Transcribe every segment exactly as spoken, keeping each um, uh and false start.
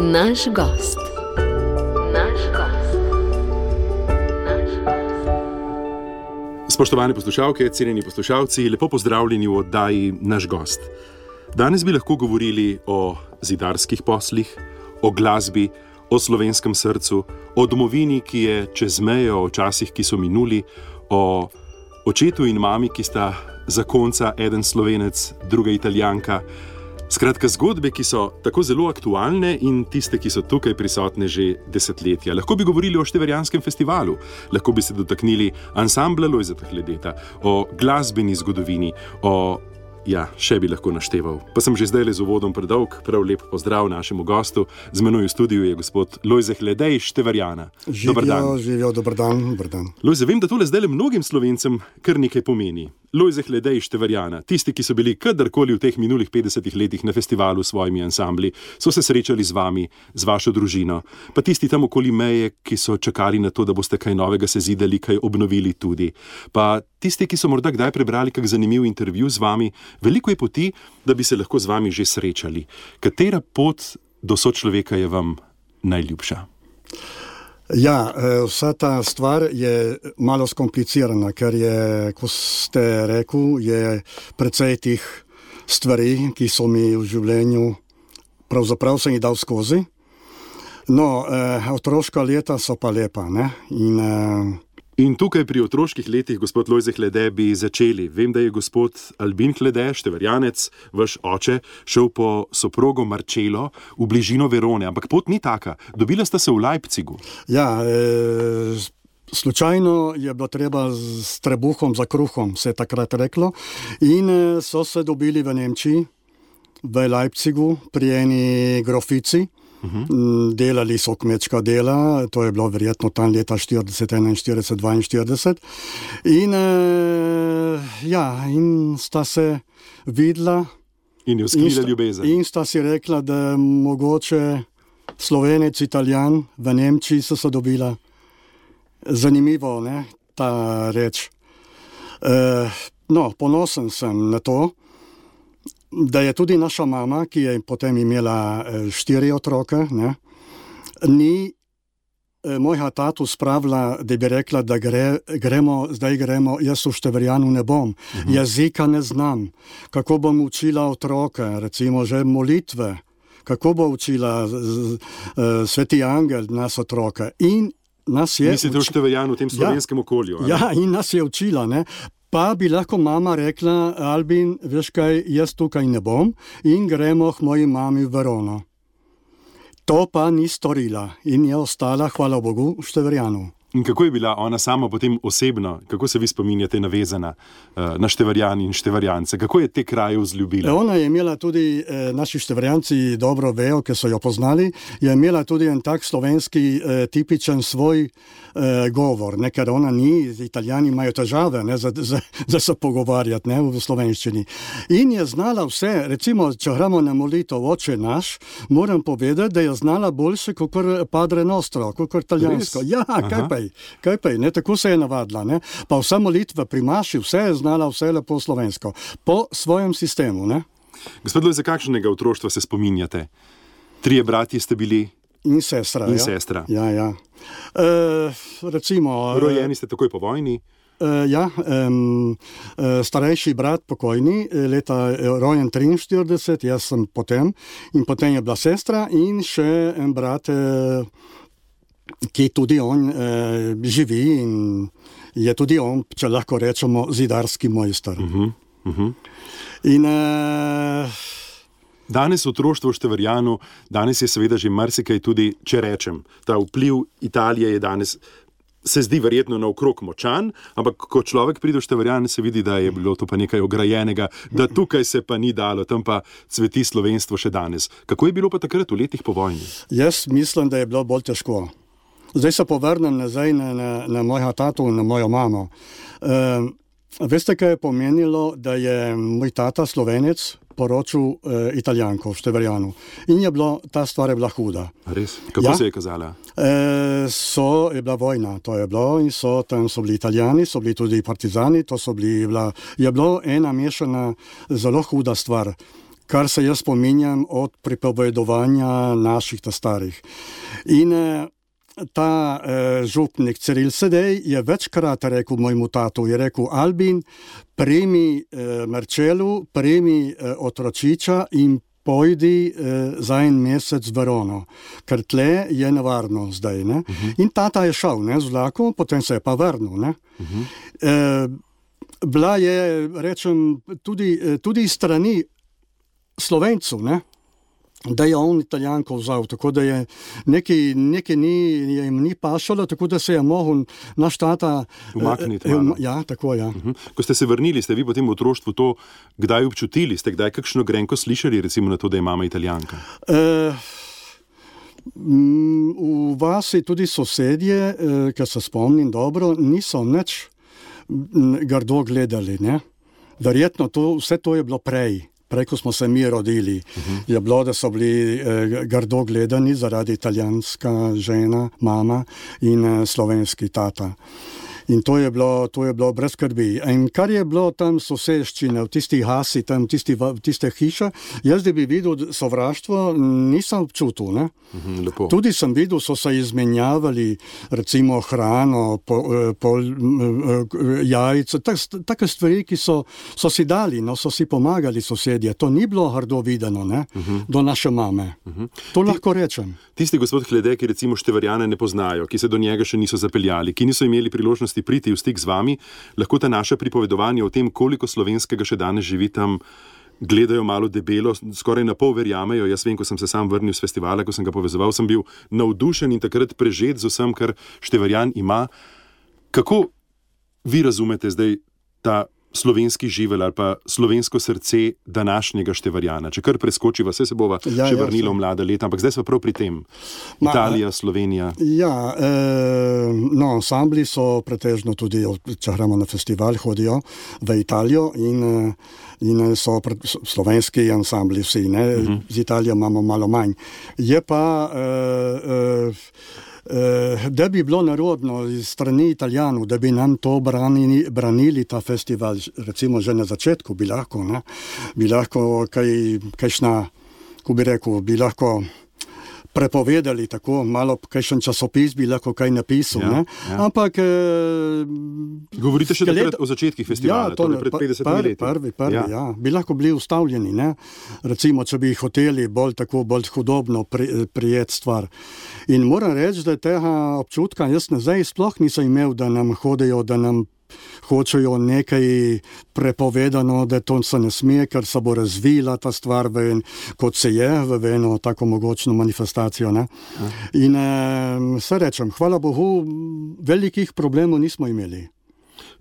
Naš gost. Naš gost. Naš gost. Spoštovane poslušalke, cenjeni poslušalci, lepo pozdravljeni v oddaji Naš gost. Danes bi lahko govorili o zidarskih poslih, o glasbi, o slovenskem srcu, o domovini, ki je čez mejo, o časih, ki so minuli, o očetu in mami, ki sta zakonca, eden Slovenec, druga Italijanka. Skratka, zgodbe, ki so tako zelo aktualne in tiste, ki so tukaj prisotne že desetletja. Lahko bi govorili o Števerjanskem festivalu, lahko bi se dotaknili ansambla Lojzeta Hledeta, o glasbeni zgodovini, o... Ja, še bi lahko našteval. Pa sem že zdaj le z uvodom predolg. Prav lep pozdrav našemu gostu. Z menoj v studiu je gospod Lojze Hledej iz Števerjana. Dobar dan. Živijo, dober dan, dober dan. Lojze, vem, da tole zdaj le mnogim Slovencem kar nekaj pomeni. Lojze Hledej iz Števerjana. Tisti, ki so bili kadarkoli v teh minulih petdesetih letih na festivalu s svojimi ansambli, so se srečali z vami, z vašo družino. Pa tisti tam okoli meje, ki so čakali na to, da boste kaj novega sezidali, kaj obnovili tudi. Pa tisti, ki so morda kdaj prebrali kak zanimiv intervju z vami. Veliko je poti, da bi se lahko z vami že srečali. Katera pot do sočloveka je vam najljubša? Ja, vsa ta stvar je malo skomplicirana, ker je, ko ste rekel, je precej tih stvari, ki so mi v življenju, pravzaprav sem jih dal skozi. No, eh, otroška leta so pa lepa, ne? In... Eh, In tukaj pri otroških letih, gospod Lojze Hledej, bi začeli. Vem, da je gospod Albin Hledej, Števerjanec, vaš oče, šel po soprogo Marčelo v bližino Verone, ampak pot ni taka. Dobila sta se v Leipzigu. Ja, e, slučajno je bilo treba s trebuhom za kruhom, se je takrat reklo, in so se dobili v Nemčiji, v Leipzigu, pri eni grofici. Uh-huh. Delali so kmečka dela, to je bilo verjetno tam leta štirideset, enainštirideset, dvainštirideset. In, e, ja, in sta se videla. In je vzklila ljubezen. In sta si rekla, da mogoče Slovenec, Italijan v Nemčiji so se dobila. Zanimivo, ne, ta reč. E, no, ponosen sem na to, da je tudi naša mama, ki je potem imela štiri otroke, ne, ni mojega tatu spravila, da bi rekla, da gre, gremo, zdaj gremo, jaz v Števerjanu ne bom, uh-huh. Jezika ne znam, kako bom učila otroke, recimo že molitve, kako bo učila z, z, z, Sveti Angel nas otroke. In nas je... Mislite v Števerjanu, v tem slovenskem ja, okolju? Ali? Ja, in nas je učila, ne. Pa bi lahko mama rekla, Albin, veš kaj, jaz tukaj ne bom in gremo k moji mami v Verono. To pa ni storila in je ostala, hvala Bogu, v Števerjanu. In kako je bila ona sama potem osebno, kako se vi spominjate navezana uh, na Števerjan in Števerjance? Kako je te kraje vzljubila? Ona je imela tudi, eh, naši Števerjanci dobro vejo, ker so jo poznali, je imela tudi en tak slovenski eh, tipičen svoj eh, govor, ne, ker ona ni, Italijani imajo težave, ne, za, za, za se pogovarjati, ne, v slovenščini. In je znala vse, recimo, če gremo na molitev Oče naš, moram povedati, da je znala boljše kot Padre Nostro, kot italijansko. Ja, kaj pa? Kaj pa je, ne, tako se je navadila, ne, pa vsa molitva pri maši, vse je znala, vse je lepo slovensko, po svojem sistemu, ne. Gospod Lojze, kakšnega otroštva se spominjate? Trije bratje ste bili? In sestra, In ja. sestra. Ja, ja. E, recimo... Rojeni ste takoj po vojni? E, ja, um, starejši brat pokojni, leta rojen triinštirideset, jaz sem potem, in potem je bila sestra in še en brat, ki tudi on eh, živi in je tudi on, če lahko rečemo, zidarski mojster. Uh-huh, uh-huh. In eh, danes otroštvo v Števerjanu, danes je seveda že marsikaj tudi, če rečem, ta vpliv Italije je danes, se zdi verjetno naokrog močan, ampak ko človek pride v Števerjan, se vidi, da je bilo to pa nekaj ograjenega, da tukaj se pa ni dalo, tam pa cveti slovenstvo še danes. Kako je bilo pa takrat v letih po vojni? Jaz mislim, da je bilo bolj težko. Zdaj se povrnem nazaj na, na, na mojega tatu in na mojo mamo. E, veste, kaj je pomenilo, da je moj tata Slovenec poročil e, Italijanko v Števerjanu. In je bilo, ta stvar je bila huda. Res? Kako ja? se je kazala? E, so, je bila vojna, to je bilo, in so, tam so bili Italijani, so bili tudi partizani, to so bili, bila, je bilo ena mešana, zelo huda stvar. kar se jaz spominjam od pripovedovanja naših ta starih. In ta eh, župnik Ciril Sedej je večkrat rekel mojemu tatu, je rekel: Albin, primi eh, Marčelu, primi eh, otročiča in pojdi eh, za en mesec v Verono, ker tle je nevarno zdaj. Ne? Uh-huh. In tata je šel, ne, z vlakom, potem se je pa vrnil. Ne? Uh-huh. Eh, bila je, rečem, tudi, tudi strani Slovencev, ne? Da je on Italijanko vzal, tako da je nekaj, nekaj ni, jim ni pašalo, tako da se je mogel naš tata umakniti. Eh, um, ja, tako, ja. Uh-huh. Ko ste se vrnili, ste vi potem v otroštvu to kdaj občutili? Ste kdaj kakšno grenko slišali, recimo na to, da je mama Italijanka? Eh, v vasi tudi sosedje, eh, ker se spomnim dobro, niso nič grdo gledali, ne? Verjetno to, vse to je bilo prej. Prej, ko smo se mi rodili, uh-huh. je bilo, da so bili eh, grdo gledani zaradi italijanska žena, mama in eh, slovenski tata. In to je bilo, to je bilo brez skrbi. In kar je bilo tam soseščine, v tistih hasi, tam v tisti, tiste hiše, jaz da bi videl sovraštvo, nisem občutil. Ne? Mm-hmm, tudi sem videl, so se izmenjavali recimo hrano, po, po, jajce, tak, take stvari, ki so, so si dali, no, so si pomagali sosedje. To ni bilo hrdo videno, ne? Mm-hmm. Do naše mame. Mm-hmm. To lahko rečem. Tisti gospod Hlede, ki recimo Števarjana ne poznajo, ki se do njega še niso zapeljali, ki niso imeli priložnosti priti v stik z vami, lahko ta naša pripovedovanja o tem, koliko slovenskega še danes živi tam, gledajo malo debelo, skoraj na pol verjamejo. Jaz vem, ko sem se sam vrnil z festivala, ko sem ga povezoval, sem bil navdušen in takrat prežet z vsem, kar Števarjan ima. Kako vi razumete zdaj ta slovenski živelj ali pa slovensko srce današnjega Števarjana? Če kar preskočiva, vse se bova ja, še vrnilo v mlada leta, ampak zdaj smo prav pri tem. Ma, Italija, Slovenija. Ja, eh, no, ansambli so pretežno tudi, če gremo na festival, hodijo v Italijo in, in so pre, slovenski ansambli vsi, ne? Uh-huh. Z Italijo imamo malo manj. Je pa eh, eh, da bi bilo narodno iz strani Italijanov, da bi nam to branili, branili ta festival, recimo že na začetku bi lahko, ne? Bi lahko kaj, kajšna, ko bi rekel, bi lahko prepovedali tako, malo kakšen časopis bi lahko kaj napisal, ja, ne? Ja. Ampak eh, govorite še takrat o začetkih festivala, ja, to, torej pred petdesetimi leti. Prvi, prvi, ja. Ja. Bi lahko bili ustavljeni, ne? Recimo, če bi hoteli bolj tako, bolj hudobno pri, prijeti stvar. In moram reči, da tega občutka jaz nazaj sploh nisem imel, da nam hodijo, da nam hočejo nekaj prepovedano, da to se ne sme, ker se bo razvila ta stvar, v, kot se je, v eno tako mogočno manifestacijo. Ne? In eh, se rečem, hvala Bogu, velikih problemov nismo imeli.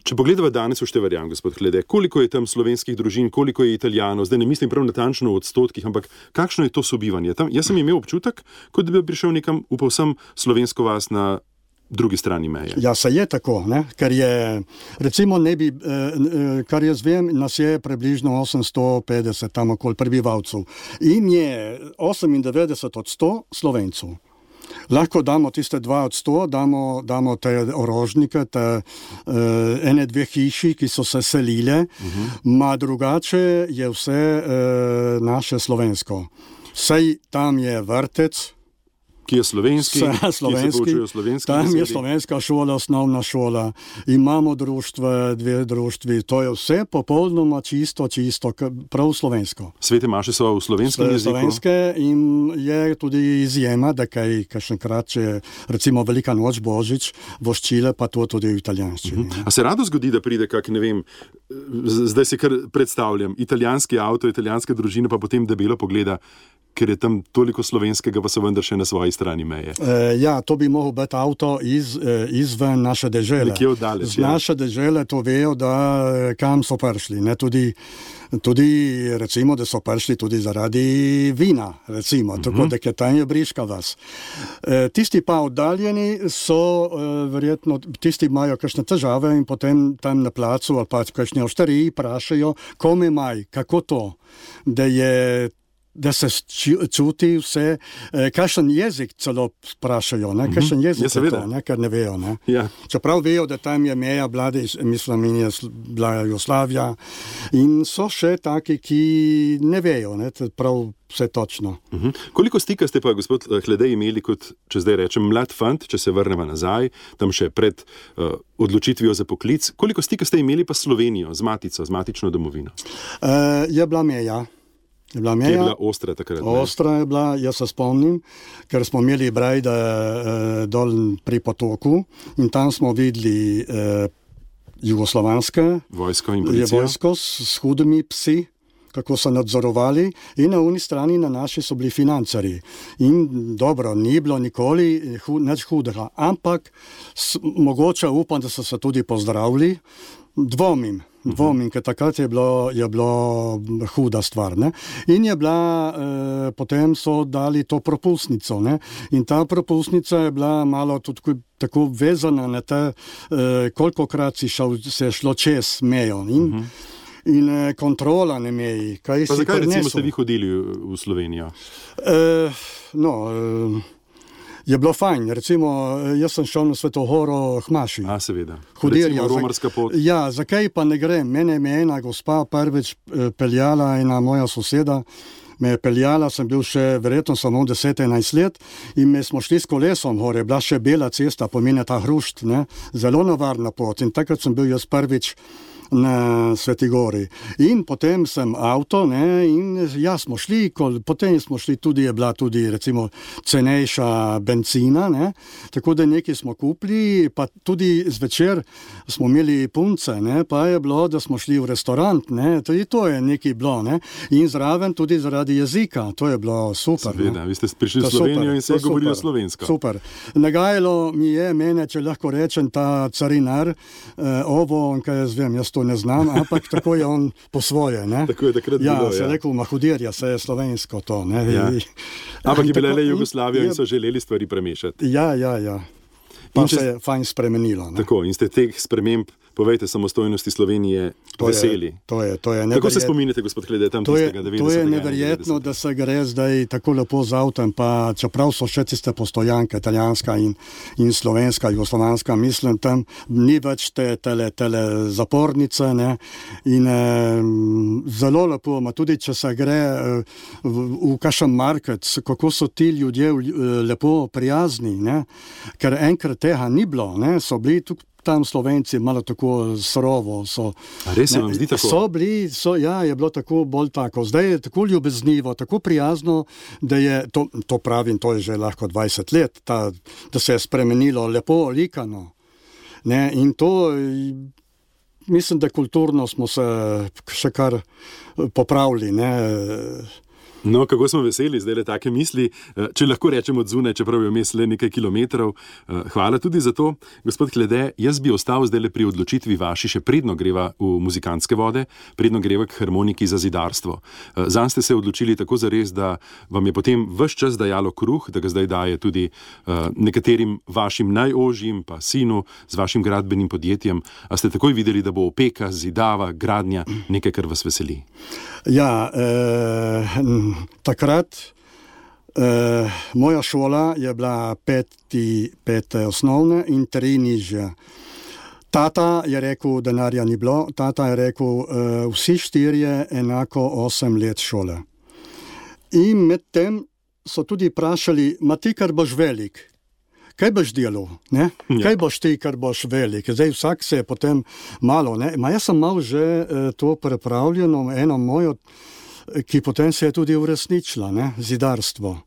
Če pogledava danes v Števarjan, gospod Hlede, koliko je tam slovenskih družin, koliko je Italijanov, zdaj ne mislim prav natančno v odstotkih, ampak kakšno je to sobivanje? Tam, jaz sem imel občutek, kot da bi prišel nekam v povsem slovensko vas na drugi strani meje. Ja, se je tako, ne? Ker je, recimo, ne bi, eh, kar jaz vem, nas je približno osemsto petdeset tam okoli prebivalcev in je osemindevetdeset od sto Slovencev. Lahko damo tiste dva od sto, damo, damo te orožnike, te uh, ene, dve hiši, ki so se selile, uh-huh. Ma drugače je vse uh, naše slovensko. Sej tam je vrtec, ki je slovenski, slovenski, ki se slovenski tam besedi. Je slovenska šola, osnovna šola, imamo društva, dve društvi, to je vse popolnoma čisto, čisto, prav slovensko. Svete maše so v slovenskem jeziku? Slovenske in je tudi izjema, da kaj kakšenkrat, če recimo Velika noč, Božič, voščile, pa to tudi v italijanščini. Uh-huh. A se rado zgodi, da pride kak, ne vem, zdaj si kar predstavljam, italijanski avto, italijanska družina, pa potem debelo pogleda, ker je tam toliko slovenskega, pa so vendar še na svoji strani meje. E, ja, to bi mogel biti avto iz, izven naše dežele. Nekje oddaleč, z naše ja. Dežele to vejo, da kam so prišli. Ne? Tudi, tudi, recimo, da so prišli tudi zaradi vina, recimo, uh-huh. Tako da je tam je briška vas. E, tisti pa oddaljeni so, e, verjetno, tisti imajo kakšne težave in potem tam na placu ali pa kakšne oštariji prašajo, kome maj, kako to, da je da se čuti vse, eh, kakšen jezik celo sprašajo, ne, kakšen jezik ja, je to, ne, ker ne vejo, ne. Ja. Čeprav vejo, da tam je meja vlade, mislim, in je bila Jugoslavija in so še taki, ki ne vejo, ne, prav vse točno. Uh-huh. Koliko stika ste pa, gospod Hledej, imeli kot, če zdaj rečem, mlad fant, če se vrnemo nazaj, tam še pred uh, odločitvijo za poklic, koliko stika ste imeli pa s Slovenijo, z matico, z matično domovino? Uh, je bila meja. Je bila meja. Je bila ostra takrat? Ostra je bila, jaz se spomnim, ker smo imeli Brajde uh, dol pri potoku in tam smo videli uh, jugoslovanske vojsko in policijo. Vojsko s, s hudimi psi, kako so nadzorovali, in na uni strani na naši so bili financerji. In dobro, ni bilo nikoli hu, nič hudega, ampak s, mogoče upam, da so se tudi pozdravili, dvomim. Dvomim, ker takrat je bilo, je bilo huda stvar. Ne? In je bila, eh, potem so dali to propustnico. Ne? In ta propustnica je bila malo tudi tako vezana na te, eh, kolikokrat si šel, se je šlo čez mejo. In, uh-huh. in eh, kontrola na meji. Kaj pa si zakaj prinesel? recimo ste vi hodili v Slovenijo? Eh, no... Eh, Je bilo fajn, recimo, jaz sem šel na Sveto Goro Hmaši. A, seveda. Hudirja, recimo romarska pot. Ja, zakaj pa ne grem? Mene me ena gospa prvič peljala, ena moja soseda me je peljala, sem bil še verjetno samo deset enajst let in me smo šli s kolesom gore, bila še bela cesta, pomeni ta hrušt, ne? Zelo nevarna pot in takrat sem bil jaz prvič na Sveti Gori. In potem sem avto, ne, in ja, smo šli, kol, potem smo šli tudi, je bila tudi recimo cenejša benzina, ne, tako da nekaj smo kupili, pa tudi zvečer smo imeli punce, ne, pa je bilo, da smo šli v restaurant, ne, tudi to je nekaj bilo, ne, in zraven tudi zaradi jezika, to je bilo super. Seveda, vi ste prišli v Slovenijo in se govorili slovensko. Super. Nagajalo mi je mene, če lahko rečem, ta carinar, eh, ovo, kaj jaz vem, jaz to ne znam, ampak tako je on po svoje. Ne? Tako je takrat ja, bilo, se ja. rekel, mahudirja, se je slovensko to. Ne? Ja. Ampak je bila le Jugoslavija in, in so želeli stvari premešati. Ja, ja, ja. Pa če, se je fajn spremenilo. Ne? Tako, in ste teh sprememb, povejte, samostojnosti Slovenije to veseli. Je, to je, to je Kako se spominjate, gospod Hledej, tam to tistega je, to je neverjetno, devetdesetega da se gre zdaj tako lepo z avtom, pa čeprav so še tiste postojanke, italijanska in, in slovenska, jugoslovanska, mislim, tam ni več te tele, tele zapornice, ne, in eh, zelo lepo, ma tudi, če se gre eh, v, v kakšen market, kako so ti ljudje lepo prijazni, ne, ker enkrat tega ni bilo, ne, so bili tukaj tam Slovenci malo tako srovo so. A res se vam zdi tako? So bili, so, ja, je bilo tako bolj tako. Zdaj je tako ljubeznivo, tako prijazno, da je, to, to pravim, to je že lahko dvajset let, ta, da se je spremenilo, lepo likano. Ne, in to, mislim, da kulturno smo se še kar popravili, ne. No, kako smo veseli, zdaj le take misli, če lahko rečem od zunaj, čeprav je vmes le nekaj kilometrov. Hvala tudi za to. Gospod Hledej, jaz bi ostal zdaj le pri odločitvi vaši, še predno greva v muzikantske vode, predno greva k harmoniki za zidarstvo. Zanj ste se odločili tako zares, da vam je potem ves čas dajalo kruh, da ga zdaj daje tudi nekaterim vašim najožjim, pa sinu, z vašim gradbenim podjetjem. A ste takoj videli, da bo opeka, zidava, gradnja nekaj, kar vas veseli? Ja, eh, takrat eh, moja šola je bila peti, pete osnovne in tri nižje. Tata je rekel, denarja ni bilo, tata je rekel, eh, vsi štirje enako osem let šole. In med tem so tudi vprašali, ma ti, kar boš velik, kaj boš delal, ne? Ja. Kaj boš ti, kar boš velik? Zdaj vsak se je potem malo, ne? Ma jaz sem mal že eh, to prepravljeno, eno mojo, ki potem se je tudi uresničila, ne? Zidarstvo.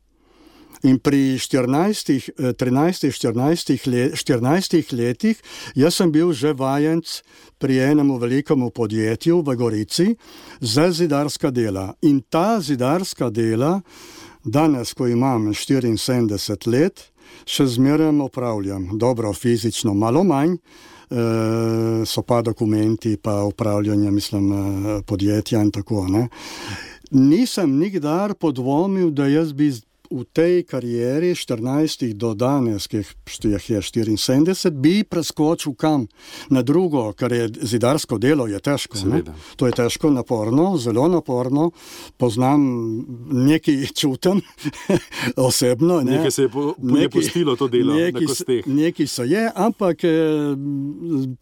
In pri štirinajstih, trinajstih, štirinajstih, let, štirinajstih letih jaz sem bil že vajenc pri enemu velikemu podjetju v Gorici za zidarska dela. In ta zidarska dela, danes, ko imam štiriinsedemdeset let, še zmeraj opravljam. Dobro, fizično malo manj, e, so pa dokumenti, pa upravljanje, mislim, podjetja in tako, ne. Nisem nikdar podvomil, da jaz bi v tej karieri štirinajstih do danes, ki jih je štiriinsedemdeset, bi preskočil kam na drugo, ker je zidarsko delo je težko. Ne? To je težko, naporno, zelo naporno. Poznam, nekaj čutim osebno. Ne? Nekaj se je, po, je pustilo to delo na kosteh. Nekaj se je, ampak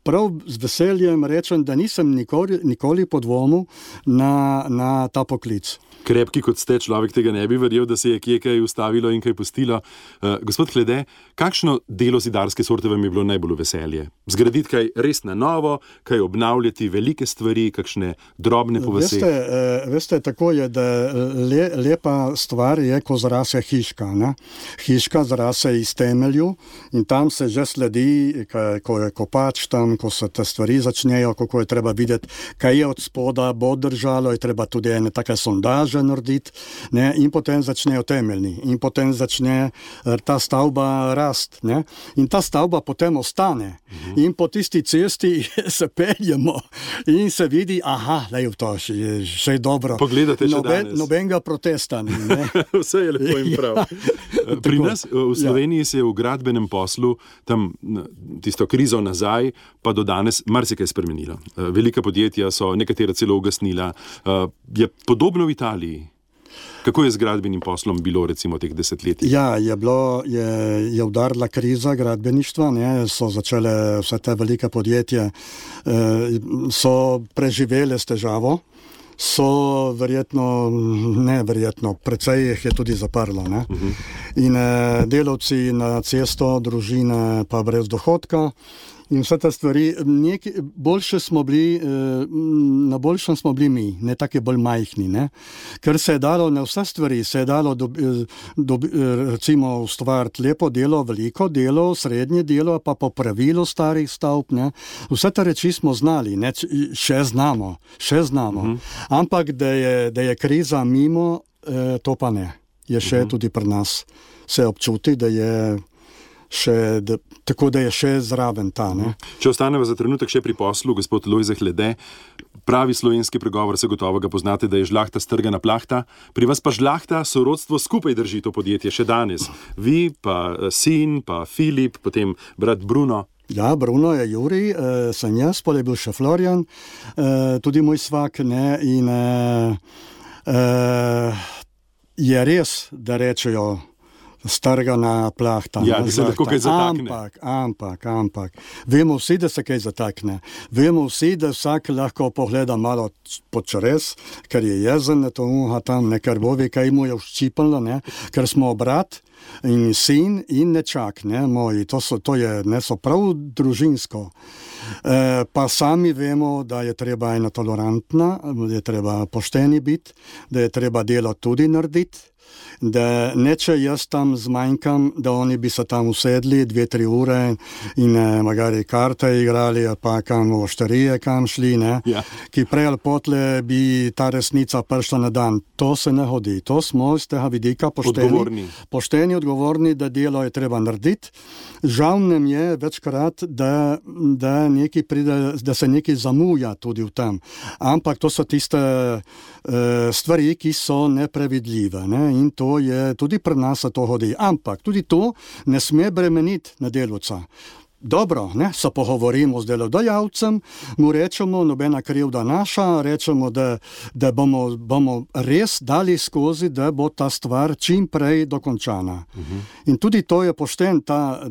prav z veseljem rečem, da nisem nikoli, nikoli podvomil na, na ta poklic. Krepki kot ste, človek tega ne bi verjel, da se je kje kaj ustavilo in kaj pustilo. Uh, gospod Hlede, kakšno delo zidarske sorte vam je bilo najbolj veselje? Zgraditi kaj res na novo, kaj obnavljati velike stvari, kakšne drobne po vaseh? Veste, uh, veste, tako je, da le, lepa stvar je, ko zarase hiška. Ne? Hiška zarase iz temelju in tam se že sledi, kaj, ko je kopač tam, ko se te stvari začnejo, kako je treba videti, kaj je od spoda, bo držalo, je treba tudi ene take sondaže narediti, ne, in potem začnejo temeljni in potem začne ta stavba rast, ne, in ta stavba potem ostane uh-huh. in po tisti cesti se peljemo in se vidi, aha, lej, to je še dobro. Pogledate še Noben, danes. Nobenega protesta ni, ne. Vse je lepo in prav. Ja, pri tako, nas v Sloveniji ja. se je v gradbenem poslu tam tisto krizo nazaj, pa do danes marsikaj spremenilo. Velika podjetja so nekatera celo ugasnila. Je podobno v Italiji. Kako je z gradbenim poslom bilo recimo teh desetletij? Ja, je bilo, je, je udarila kriza gradbeništva, ne, so začele vse te velike podjetje, eh, so preživele s težavo, so verjetno, ne verjetno, precej jih je tudi zaprlo, ne. Uh-huh. In eh, delavci na cesto, družine pa brez dohodka. In vse te stvari, nekaj, boljše smo bili, na boljšem smo bili mi, ne take bolj majhni, ne. Ker se je dalo na vse stvari, se je dalo do, do, recimo ustvariti lepo delo, veliko delo, srednje delo, pa popravilo starih stavb, ne. Vse te reči smo znali, ne, še znamo, še znamo. Uh-huh. Ampak, da je, da je kriza mimo, to pa ne. Je še uh-huh. tudi pri nas. Se občuti, da je Še, da, tako da je še zraven ta. Ne? Če ostaneva za trenutek še pri poslu, gospod Lojze Hlede, pravi slovenski pregovor, se gotovo ga poznate, da je žlahta strgana plahta, pri vas pa žlahta sorodstvo skupaj drži to podjetje še danes. Vi, pa sin, pa Filip, potem brat Bruno. Ja, Bruno je Jurij, eh, sem jaz, pol je bil še Florian, eh, tudi moj svak, ne, in eh, eh, je res, da rečejo strgana plahta. Ja, da se lahko kaj zatakne. Ampak, ampak, ampak. Vemo vsi, da se kaj zatakne. Vemo vsi, da vsak lahko pogleda malo pod črez, ker je jezen, to uha tam, ne, ker bo ve, kaj mu je vščipalo, ne, ker smo brat in sin in nečak, ne, moji, to so, to je, ne, so prav družinsko. E, pa sami vemo, da je treba ena tolerantna, da je treba pošteni biti, da je treba delo tudi narediti, da neče jaz tam zmanjkam, da oni bi se tam usedli dve, tri ure in eh, magari karte igrali, pa kam v ošterije kam šli, ne, ja. ki prej ali potle bi ta resnica prišla na dan. To se ne hodi. To smo iz tega vidika pošteni, odgovorni. pošteni, odgovorni, da delo je treba narediti. Žal nam je večkrat, da, da, pride, da se nekaj zamuja tudi v tem. Ampak to so tiste uh, stvari, ki so neprevidljive, ne, in to je tudi pri nas to hodi. Ampak tudi to ne sme bremeniti na delavca. Dobro, ne, se pogovorimo z delodajalcem, mu rečemo, nobena krivda naša, rečemo, da, da bomo, bomo res dali skozi, da bo ta stvar čim prej dokončana. Uh-huh. In tudi to je pošten ta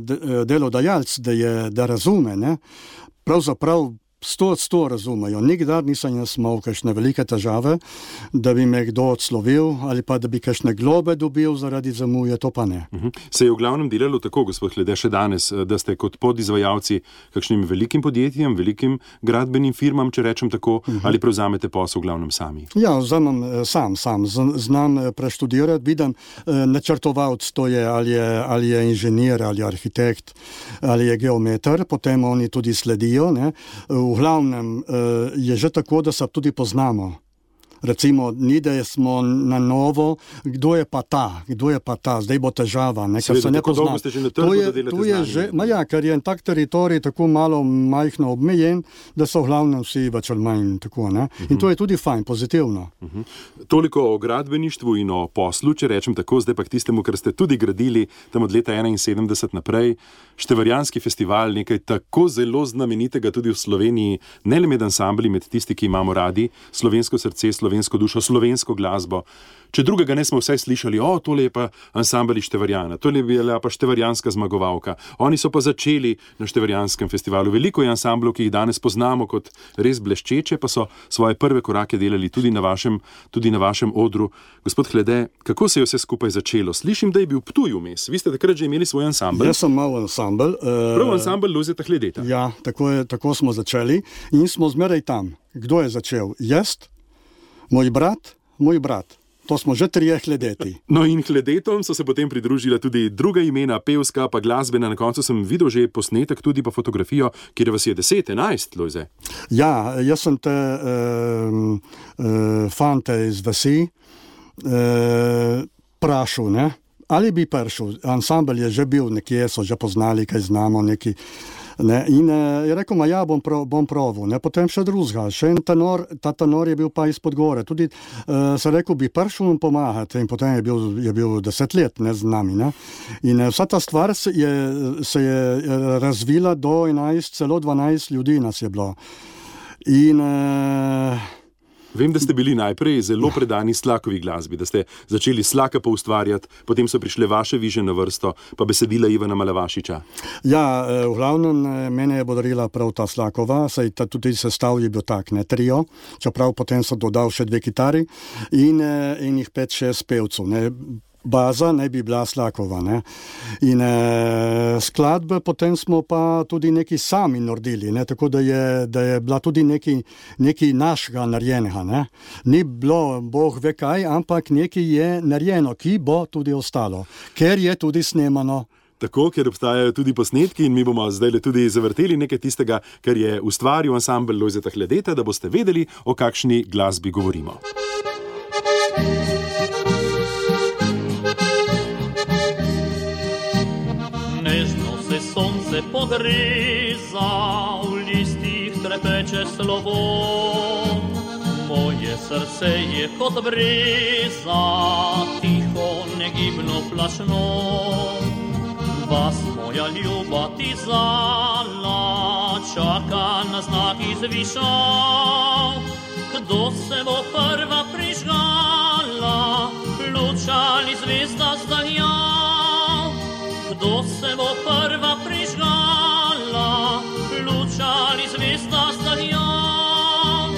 delodajalc, da, je, da razume, ne, pravzaprav sto od sto razumejo. Nikdar nisem jaz imel kakšne velike težave, da bi me kdo odslovil ali pa da bi kakšne globe dobil zaradi zamuje, to pa ne. Uh-huh. Se je v glavnem delalo tako, gospod Hlede, še danes, da ste kot podizvajalci kakšnim velikim podjetjem, velikim gradbenim firmam, če rečem tako, uh-huh. ali prevzamete posel v glavnem sami? Ja, vzamem sam, sam. Znam preštudirati, vidim, načrtovalec to je, ali je, ali je inženir, ali arhitekt, ali je geometer, potem oni tudi sledijo, ne. V glavnem je že tako, da se tudi poznamo. Recimo, ni da smo na novo, kdo je pa ta, kdo je pa ta, zdaj bo težava, ne, ker se ne pozna. To je, to je že, ma ja, ker je tak teritorij tako malo majhno obmejen, da so v glavnem vsi več ali manj tako, ne. In to je tudi fajn, pozitivno. Uh-huh. Toliko o gradbeništvu in o poslu, če rečem tako, zdaj pa k tistemu, kar ste tudi gradili tam od leta enainsedemdeset naprej. Števarjanski festival, nekaj tako zelo znamenitega tudi v Sloveniji, ne le med ansambli, med tisti, ki imamo radi slovensko srce, slovensko dušo, slovensko glasbo. Če drugega ne smo vsaj slišali, o, tole je pa ansambel iz Števarjana, tole je bila pa števarjanska zmagovalka. Oni so pa začeli na Števarjanskem festivalu. Veliko je ansamblov, ki jih danes poznamo kot res bleščeče, pa so svoje prve korake delali tudi na vašem, tudi na vašem odru. Gospod Hlede, kako se je vse skupaj začelo? Slišim, da je bil Ptuj vmes. Vi ste takrat že imeli svoj ansambel? Jaz sem imel ansambel. Uh, Prav ansambel Lojzeta Hledeta. Ja, tako, je, tako smo začeli in smo zmeraj tam. Kdo je začel? Jaz, moj brat, moj brat. To smo že trije Hledeti. No in Hledetom so se potem pridružila tudi druga imena, pevska, pa glasbena. Na koncu sem videl že posnetek, tudi pa fotografijo, kjer vas je deset, enajst, Lojze. Ja, jaz sem te uh, uh, fante iz vasi uh, prašil, ne? Ali bi prišel. Ansambel je že bil nekje, so že poznali, kaj znamo, neki. Ne, in uh, je rekel, ma ja, bom, pro, bom proval, ne, potem še drugega, še en tenor, ta tenor je bil pa izpod gore, tudi uh, se rekel, bi prišel in pomagati in potem je bil, je bil deset let, ne, z nami, ne, in uh, vsa ta stvar se je, se je razvila do enajst, celo dvanajst ljudi nas je bilo in uh, Vem, da ste bili najprej zelo predani Slakovi glasbi, da ste začeli Slaka poustvarjati, potem so prišle vaše viže na vrsto, pa besedila Ivana Malavašiča. Ja, v glavnem mene je bodarila prav ta Slakova, saj ta tudi sestav je bil tak, ne, trio, čeprav potem so dodal še dve kitari in, in jih pet, šest pevcev, ne. Baza naj bi bila Slakova, ne. In e, skladbe potem smo pa tudi neki sami naredili, ne, tako da je, da je bila tudi neki, neki našega narejenega, ne. Ni bilo, Bog ve kaj, ampak nekaj je narejeno, ki bo tudi ostalo, ker je tudi snemano. Tako, ker obstajajo tudi posnetki in mi bomo zdaj tudi zavrteli nekaj tistega, kar je ustvaril ansambel Lojzeta Hledeta, da boste vedeli, o kakšni glasbi govorimo. Sonce podreza, v listih trepeče slovo. Moje srce je kot breza, tiho, negibno, plašno. Vas, moja ljuba, ti zala, čaka na znak izvišav. Kdo se bo prva prižgala, luč ali zvezda zdaljal? Kdo se bo prva prižgala, luč ali zvezda zdaljal?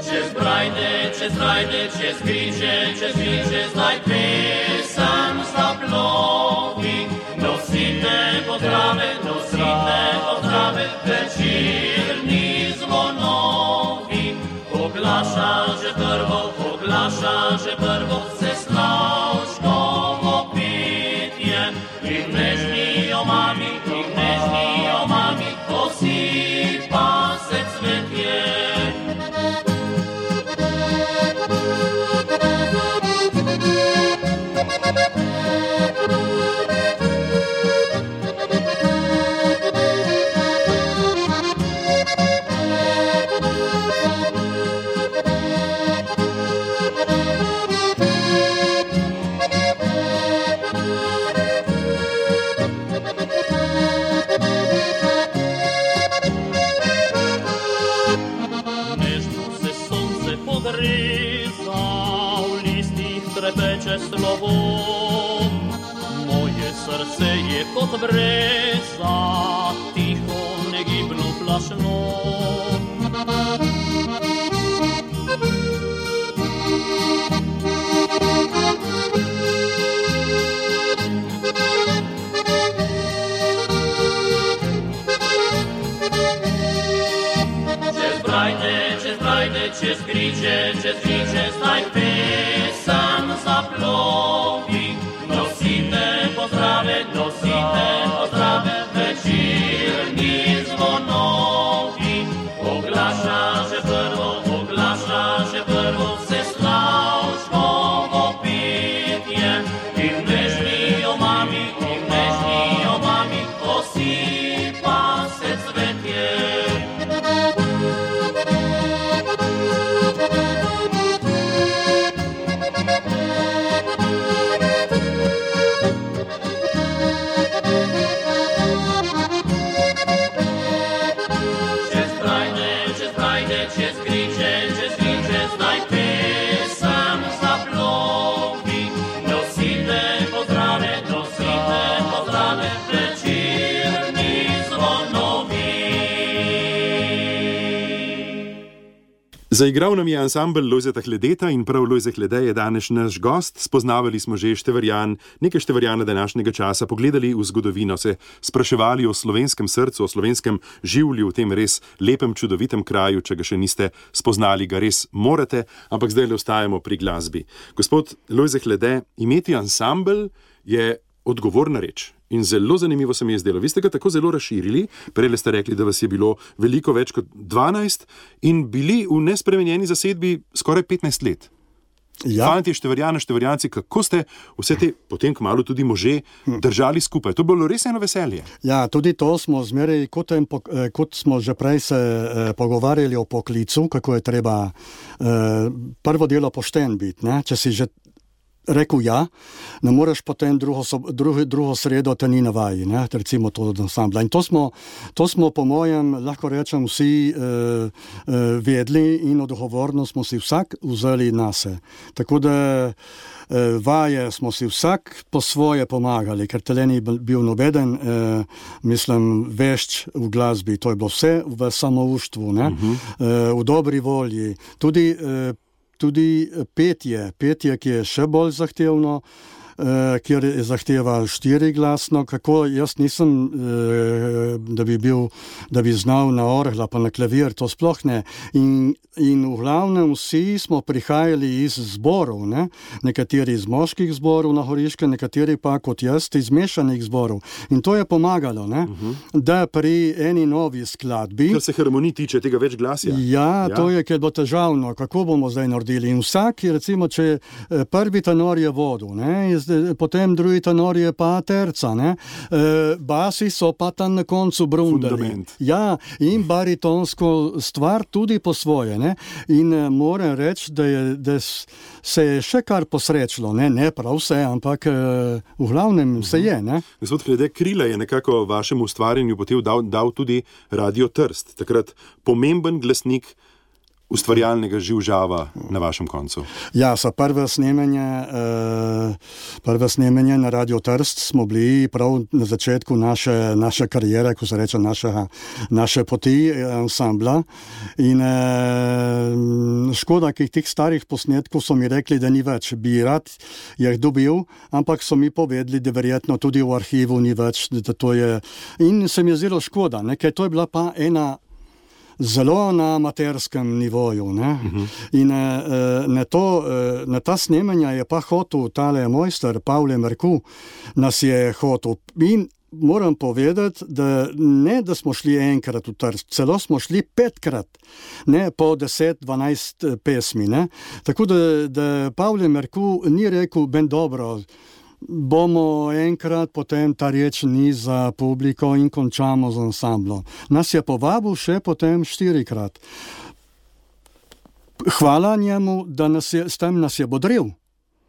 Čez brajde, čez rajde, čez križe, čez križe, zdaj pesem zaplovi. Nosite pozdrave, nosite pozdrave, večerni zvonovi. Oglaša že prvo, oglaša že prvo, se Slavškovo petje. In nežni o mami, in nežni o mami, posipa se cvetje. Trepeče slovo, moje srce je kot breza, tiho, negibno, plašno. Čez brajde, čez brajde, čez križe, čez križe, zdaj pesem zaplovi. Nosite pozdrave, nosite pozdrave, večerni zvonovi. Oglaša že prvo, oglaša Zaigral nam je ansambel Lojzeta Hledeta in prav Lojze Hlede je danes naš gost. Spoznavali smo že Števerjan, nekaj Števerjana današnjega časa, pogledali v zgodovino, se spraševali o slovenskem srcu, o slovenskem življu v tem res lepem, čudovitem kraju. Če ga še niste spoznali, ga res morate, ampak zdaj le ostajamo pri glasbi. Gospod Lojze Hlede, imeti ansambel je odgovorna reč. In zelo zanimivo se mi je zdelo. Vi ste ga tako zelo razširili, prej ste rekli, da vas je bilo veliko več kot dvanajst in bili v nespremenjeni zasedbi skoraj petnajst let. Ja. Fanti, Števerjana, Števerjanci, kako ste vse te, potem kmalu tudi može, držali skupaj? To je bilo res eno veselje. Ja, tudi to smo zmeraj, kot, kot smo že prej se eh, pogovarjali o poklicu, kako je treba eh, prvo delo pošten biti, ne? Če si že rekel ja, ne moreš potem drugo, drugo, drugo sredo te ni na vaji, ne? Recimo to od ansambla. In to smo, to smo po mojem, lahko rečem, vsi uh, uh, vedli in odgovorno smo si vsak vzeli nase. Tako da uh, vaje smo si vsak po svoje pomagali, ker tele ni bil nobeden, uh, mislim, vešč v glasbi. To je bilo vse v samouštvu, ne? Uh-huh. uh, v dobri volji. Tudi uh, Tudi petje, petje, ki je še bolj zahtevno, eh, kjer zahteva štiriglasno, kako jaz nisem, eh, da bi bil, da bi znal na orgla pa na klavir, to sploh ne. In, in v glavnem vsi smo prihajali iz zborov, ne? Nekateri iz moških zborov na Horiške, nekateri pa kot jaz iz mešanih zborov. In to je pomagalo, ne? Uh-huh. Da pri eni novi skladbi... Kar se harmonij tiče, tega več glasja. Ja, ja, to je, ker bo težavno, kako bomo zdaj naredili. In vsak, recimo, če prvi tenor je vodil, ne? Potem drugi tenor je pa terca, ne? Basi so pa tam na koncu brundali. Fundament. Ja, in baritonsko stvar tudi po svoje, ne? In moram reči, da, je, da se je še kar posrečilo, ne, ne prav vse, ampak v glavnem se je, ne? Gospod Hlede, krila je nekako vašemu ustvarjanju potem dal, dal tudi Radio Trst, takrat pomemben glasnik ustvarjalnega živžava na vašem koncu. Ja, so prve snemanje, uh, prve snemanje na Radio Trst smo bili prav na začetku naše, naše karijere, ko se reče naše, naše poti ansambla. In uh, škoda, ki tih starih posnetkov so mi rekli, da ni več. Bi rad jih dobil, ampak so mi povedali, da verjetno tudi v arhivu ni več. Da to je... In se mi je zelo škoda, ne? Ker to je bila pa ena zelo na amaterskem nivoju, ne? Uh-huh. In uh, na, to, uh, na ta snemanja je pa hotel tale mojster Pavle Merku, nas je hotel. In moram povedati, da ne, da smo šli enkrat v Trst, celo smo šli petkrat, ne, po deset, dvanajst pesmi, ne? Tako da, da Pavle Merku ni rekel, ben dobro, bomo enkrat, potem ta reč ni za publiko in končamo z ansamblom. Nas je povabil še potem štirikrat. Hvala njemu, da nas je, s tem nas je bodril.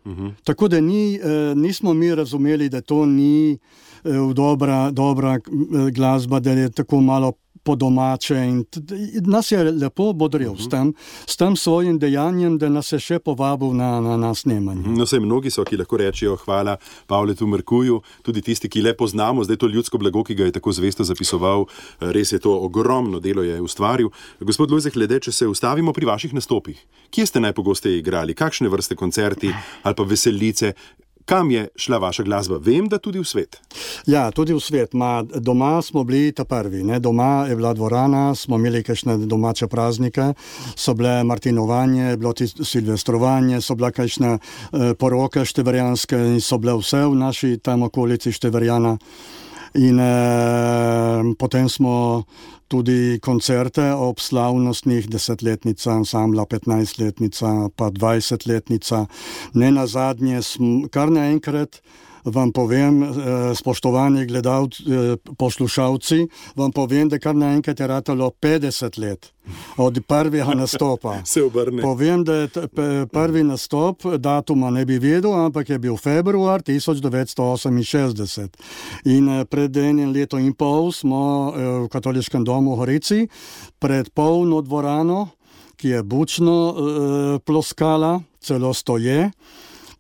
Uh-huh. Tako da ni, eh, nismo mi razumeli, da to ni eh, dobra, dobra glasba, da je tako malo po domače in t- nas je lepo bodril uh-huh. s tem, s tem svojim dejanjem, da nas je še povabil na, na, na snemanje. No, sej mnogi so, ki lahko rečejo hvala Pavletu Merkuju, tudi tisti, ki le poznamo, zdaj to ljudsko blago, ki ga je tako zvesto zapisoval, res je to ogromno delo je ustvaril. Gospod Lojze Hlede, če se ustavimo pri vaših nastopih, kje ste najpogosteje igrali, kakšne vrste koncerti ali pa veselice, kam je šla vaša glasba? Vem, da tudi v svet. Ja, tudi v svet. Ma, doma smo bili ta prvi. Ne? Doma je bila dvorana, smo imeli kakšne domače praznike, so bile martinovanje, bilo silvestrovanje, so bile kakšne eh, poroke števerjanske in so bile vse v naši tam okolici Števerjana. In eh, potem smo tudi koncerte ob slavnostnih desetletnica ansambla, petnajstletnica, pa dvajsetletnica. Ne nazadnje, kar naenkrat vam povem, spoštovani gledalci, poslušalci, vam povem, da kar naenkrat je ratalo petdeset let od prvega nastopa. Se obrne. Povem, da je prvi nastop, datuma ne bi vedel, ampak je bil februar tisoč devetsto oseminšestdeset. In pred enim letom in pol smo v Katoliškem domu v Horici pred polno dvorano, ki je bučno ploskala, celo stoje.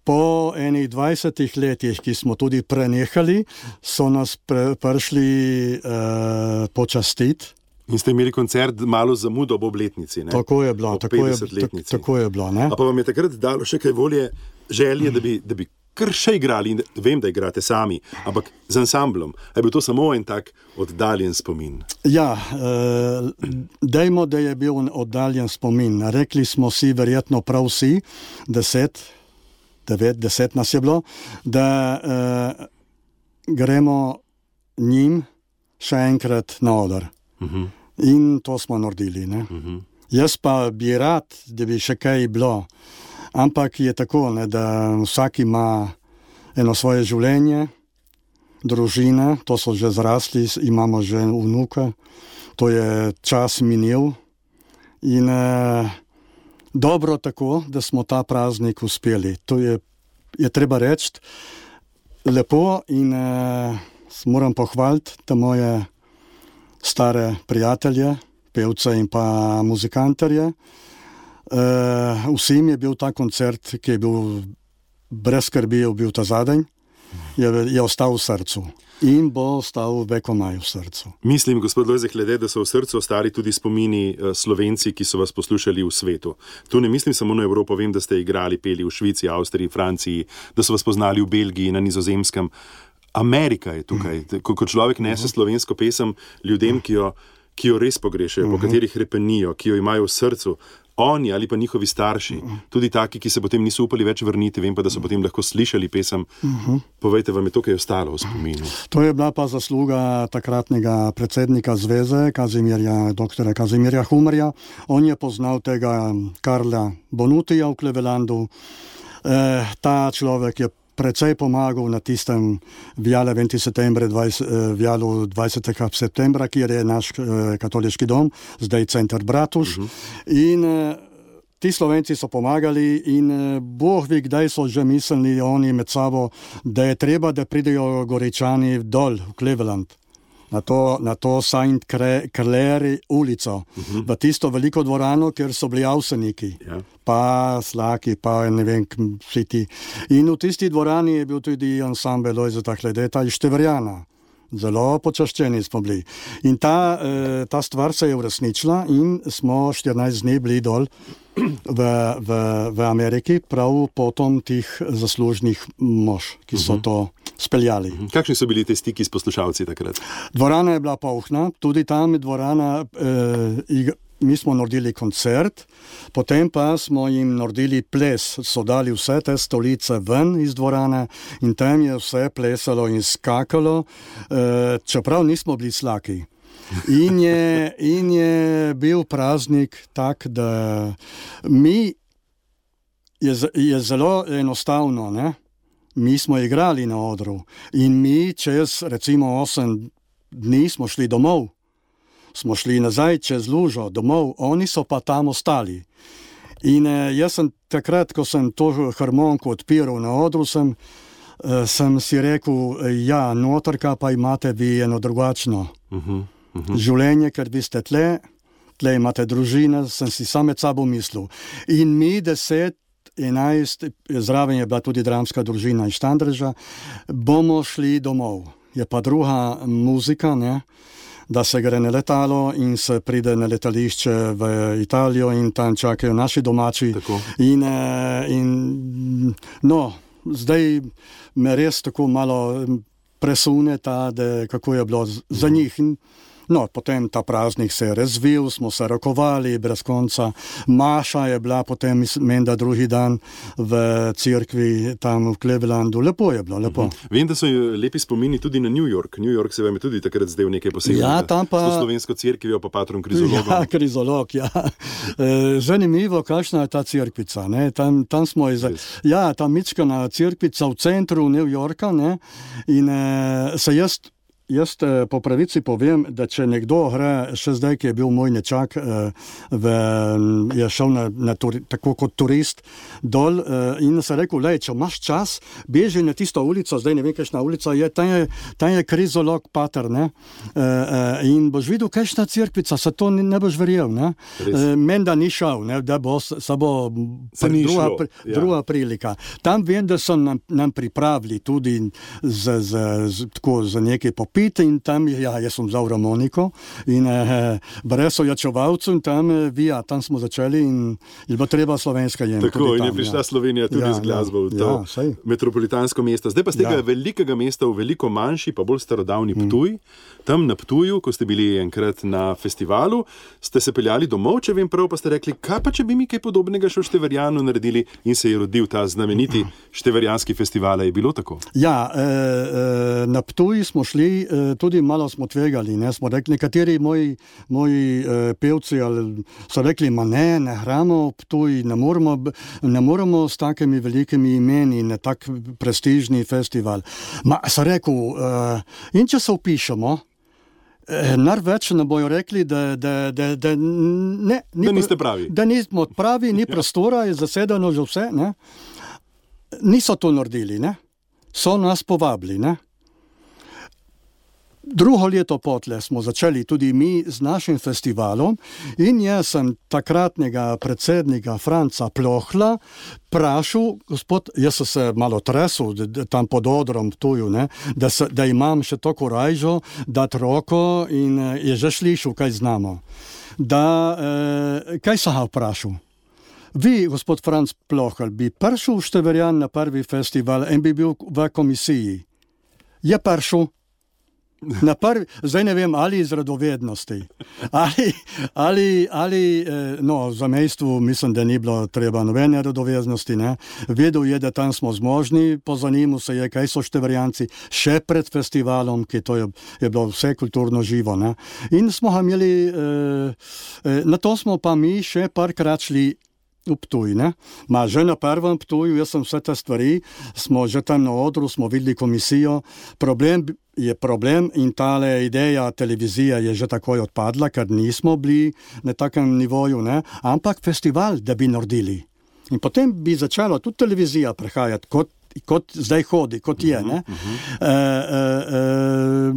Po enih dvajsetih letih, ki smo tudi prenehali, so nas pre, prišli uh, počastiti. In ste imeli koncert malo zamudo ob obletnici, ne? Tako je bilo, tako je, tak, tako je bilo, ne? A pa vam je takrat dalo še kaj volje, želje, da bi, da bi kar še igrali, in vem, da igrate sami, ampak z ansamblom. A je bil to samo en tak oddaljen spomin? Ja, eh, dejmo, da je bil oddaljen spomin. Rekli smo si, verjetno prav vsi, deset, devet, deset nas je bilo, da eh, gremo njim še enkrat na oder. Uh-huh. In to smo naredili, ne? Uh-huh. Jaz pa bi rad, da bi še kaj bilo. Ampak je tako, ne, da vsak ima eno svoje življenje, družine, to so že zrasli, imamo že vnuka, to je čas minil in eh, dobro tako, da smo ta praznik uspeli. To je, je treba reči lepo in eh, moram pohvaliti te moje stare prijatelje, pevce in pa muzikantarje. Uh, vsem je bil ta koncert, ki je bil brez skrbi, je bil ta zadnji, je, je ostal v srcu in bo ostal vekomaj v srcu. Mislim, gospod Lojze Klede, da so v srcu ostali tudi spomini uh, Slovenci, ki so vas poslušali v svetu. Tu ne mislim samo na Evropo, vem, da ste igrali, peli v Švici, Avstriji, Franciji, da so vas poznali v Belgiji, na Nizozemskem. Amerika je tukaj. Mm. Ko, ko človek nese slovensko pesem ljudem, ki jo, ki jo res pogrešajo, mm-hmm. po katerih repenijo, ki jo imajo v srcu, oni ali pa njihovi starši, tudi taki, ki se potem niso upali več vrniti, vem pa, da so potem lahko slišali pesem. Uh-huh. Povejte, vam je to, kaj je ostalo v spominu? To je bila pa zasluga takratnega predsednika zveze, Kazimirja, doktora Kazimirja Humarja. On je poznal tega Karla Bonutija v Clevelandu. E, ta človek je precej pomagal na tistem viale dvajsetega septembra, kjer je naš eh, katoliški dom, zdaj center Bratuš. Uh-huh. In eh, ti Slovenci so pomagali in eh, Bog ve, kdaj so že mislili oni med sabo, da je treba, da pridejo Goričani dol v Cleveland. Na to, na to Saint Clair ulico, uh-huh. v tisto veliko dvorano, kjer so bili avseniki, yeah. pa Slaki, pa ne vem, vsi ti. In v tisti dvorani je bil tudi ansambel Lojzeta Kledeta iz Števerjana. Zelo počaščeni smo bili. In ta, eh, ta stvar se je uresničila in smo štirinajst dni bili dol v, v, v Ameriki, prav potom tih zaslužnih mož, ki so uh-huh. to speljali. Uh-huh. Kakšni so bili te stiki s poslušalci takrat? Dvorana je bila polna, tudi tam je dvorana, eh, mi smo naredili koncert, potem pa smo jim naredili ples, so dali vse te stolice ven iz dvorane in tam je vse plesalo in skakalo, eh, čeprav nismo bili slaki. In je, in je bil praznik tak, da mi je, je zelo enostavno, ne? Mi smo igrali na odru in mi čez recimo osem dni smo šli domov. Smo šli nazaj čez lužo domov, oni so pa tam ostali. In eh, jaz sem takrat, ko sem to harmoniko odpiral na odru, sem, eh, sem si rekel, ja, notrka pa imate vi eno drugačno uh-huh, uh-huh. življenje, ker vi ste tle, tle imate družine, sem si sam med sabo mislil. In mi deset, enajst, zraven je bila tudi dramska družina iz Štandreža, bomo šli domov. Je pa druga muzika, ne? Da se gre na letalo in se pride na letališče v Italijo in tam čakajo naši domači. In, in no, zdaj me res tako malo presune ta, da kako je bilo za njih. No, potem ta praznik se je razvil, smo se rokovali brez konca. Maša je bila potem, menda drugi dan v cerkvi tam v Clevelandu. Lepo je bilo, lepo. Uh-huh. Vem, da so lepi spomini tudi na New York. New York se vam je tudi takrat zdel nekaj posebnega. Ja, tam pa... S to slovensko cerkvijo pa patrom Krizologom. Ja, Krizolog, ja. Zanimivo, kakšna je ta cerkvica, ne. Tam, tam smo iz... Ja, ta mičkana cerkvica v centru New Yorka, ne. In eh, se jaz... Jaz po pravici povem, da če nekdo gre, še zdaj, ki je bil moj nečak, v, je šel na, na turi, tako kot turist dol in se rekel, lej, če imaš čas, beži na tisto ulico, zdaj ne vem, kakšna ulica je, tam je, tam je Krizolog pater, ne, in boš videl, kakšna cerkvica, se to ne, ne boš verjel, ne, menda ni šel, ne, da bo samo druga, ja. druga prilika. Tam vem, da so nam, nam pripravili tudi z, z, z, tako, za nekaj popolnega, popiti in tam, ja, jaz sem vzal harmoniko in eh, brez ojačevalcev in tam, eh, vija, tam smo začeli in je bilo treba slovenska jem. Tako, in tam, je prišla ja. Slovenija tudi Ja, z glasbo v to ja, saj. metropolitansko mesto. Zdaj pa z tega Ja. velikega mesta v veliko manjši, pa bolj starodavni Ptuj. Tam na Ptuju, ko ste bili enkrat na festivalu, ste se peljali domov, če vem prav, pa ste rekli, kaj pa če bi mi kaj podobnega še v Števerjanu naredili, in se je rodil ta znameniti Števerjanski festival. Je bilo tako? Ja, eh, eh, na Ptuj smo šli, eh, tudi malo smo tvegali, ne, smo rekli, nekateri moji, moji eh, pevci ali, so rekli, ma ne, ne hramo Ptuj, ne moramo, ne moramo s takimi velikimi imeni na tak prestižni festival. Ma, sem rekel, eh, in če se upišemo, največ ne bojo rekli, da, da, da, da, ne, ni, da niste pravi. Da nismo pravi, ni prostora, je zasedeno že vse. Ne? Niso to naredili, ne? So nas povabili. Ne? Drugo leto potle smo začeli tudi mi z našim festivalom in jaz sem takratnega predsednika Franca Plohla prašal, gospod, jaz sem se malo tresel tam pod odrom Ptuju, ne, da, se, da imam še to korajžo, dati roko in je že slišal, kaj znamo. Da, eh, kaj sem ga vprašal? Vi, gospod Franc Plohl, bi prišel v Števerjan na prvi festival in bi bil v komisiji. Je prišel? Na prvi, zdaj ne vem, ali iz radovednosti, ali, ali, ali no, za mejstvu mislim, da ni bilo treba nobene radovednosti, ne. Vedel je, da tam smo zmožni, pozanimal se je, kaj so Števerjanci še pred festivalom, ki to je, je bilo vse kulturno živo, ne. In smo ga imeli, eh, eh, na to smo pa mi še parkrat šli v Ptuj, ne. Ma že na prvem Ptuju, jaz sem vse te stvari, smo že tam na odru, smo videli komisijo, problem je problem in tale ideja televizija je že takoj odpadla, ker nismo bili na takem nivoju, ne, ampak festival, da bi naredili. In potem bi začela tudi televizija prehajati, kot, kot zdaj hodi, kot je, ne. Uh, uh, uh,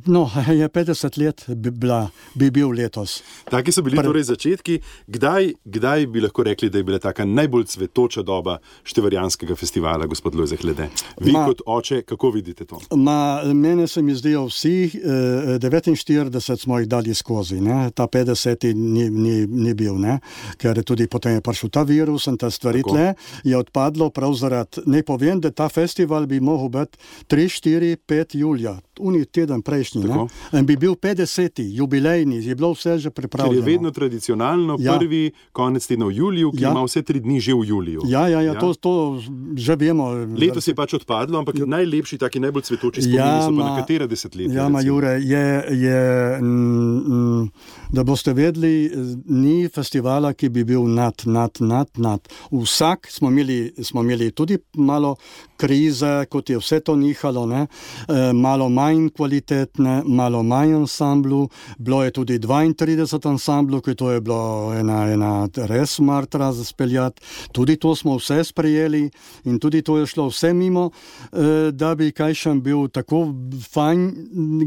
no, je petdeset let bi, bila, bi bil letos. Taki so bili Prv... torej začetki. Kdaj, kdaj bi lahko rekli, da je bila taka najbolj cvetoča doba Števerjanskega festivala, gospod Lojze Hlede? Vi Ma... kot oče, kako vidite to? Ma, mene se mi zdijo vsi, eh, devetinštirideset smo jih dali skozi, ne? Ta petdeseti ni, ni, ni bil, ne? Ker tudi potem je prišel ta virus in ta stvari tle, je odpadlo prav zaradi, ne povem, da ta festival bi mogel biti tri, štiri, pet julija, uni teden prejšnji, ne? In bi bil petdeseti, jubilejni, je bilo vse že pripravljeno. Ker je vedno tradicionalno ja. prvi konec tedna v juliju, ki ja. ima vse tri dni že v juliju. Ja, ja, ja, ja. To, to že vemo. Letos je pač odpadlo, ampak ja. najlepši, taki najbolj cvetoči spomini ja, so pa na katera desetletja. Ja, ma Jure, je, je mm, da boste vedeli, ni festivala, ki bi bil nad, nad, nad, nad. Vsak smo imeli, smo imeli tudi malo krize, kot je vse to nihalo, ne? E, malo manj kvalitetne, malo manj ansamblu, bilo je tudi dvaintrideset ansamblu, ki to je bilo ena, ena res martra za speljati, tudi to smo vse sprejeli in tudi to je šlo vse mimo, e, da bi kaj še bil tako fajn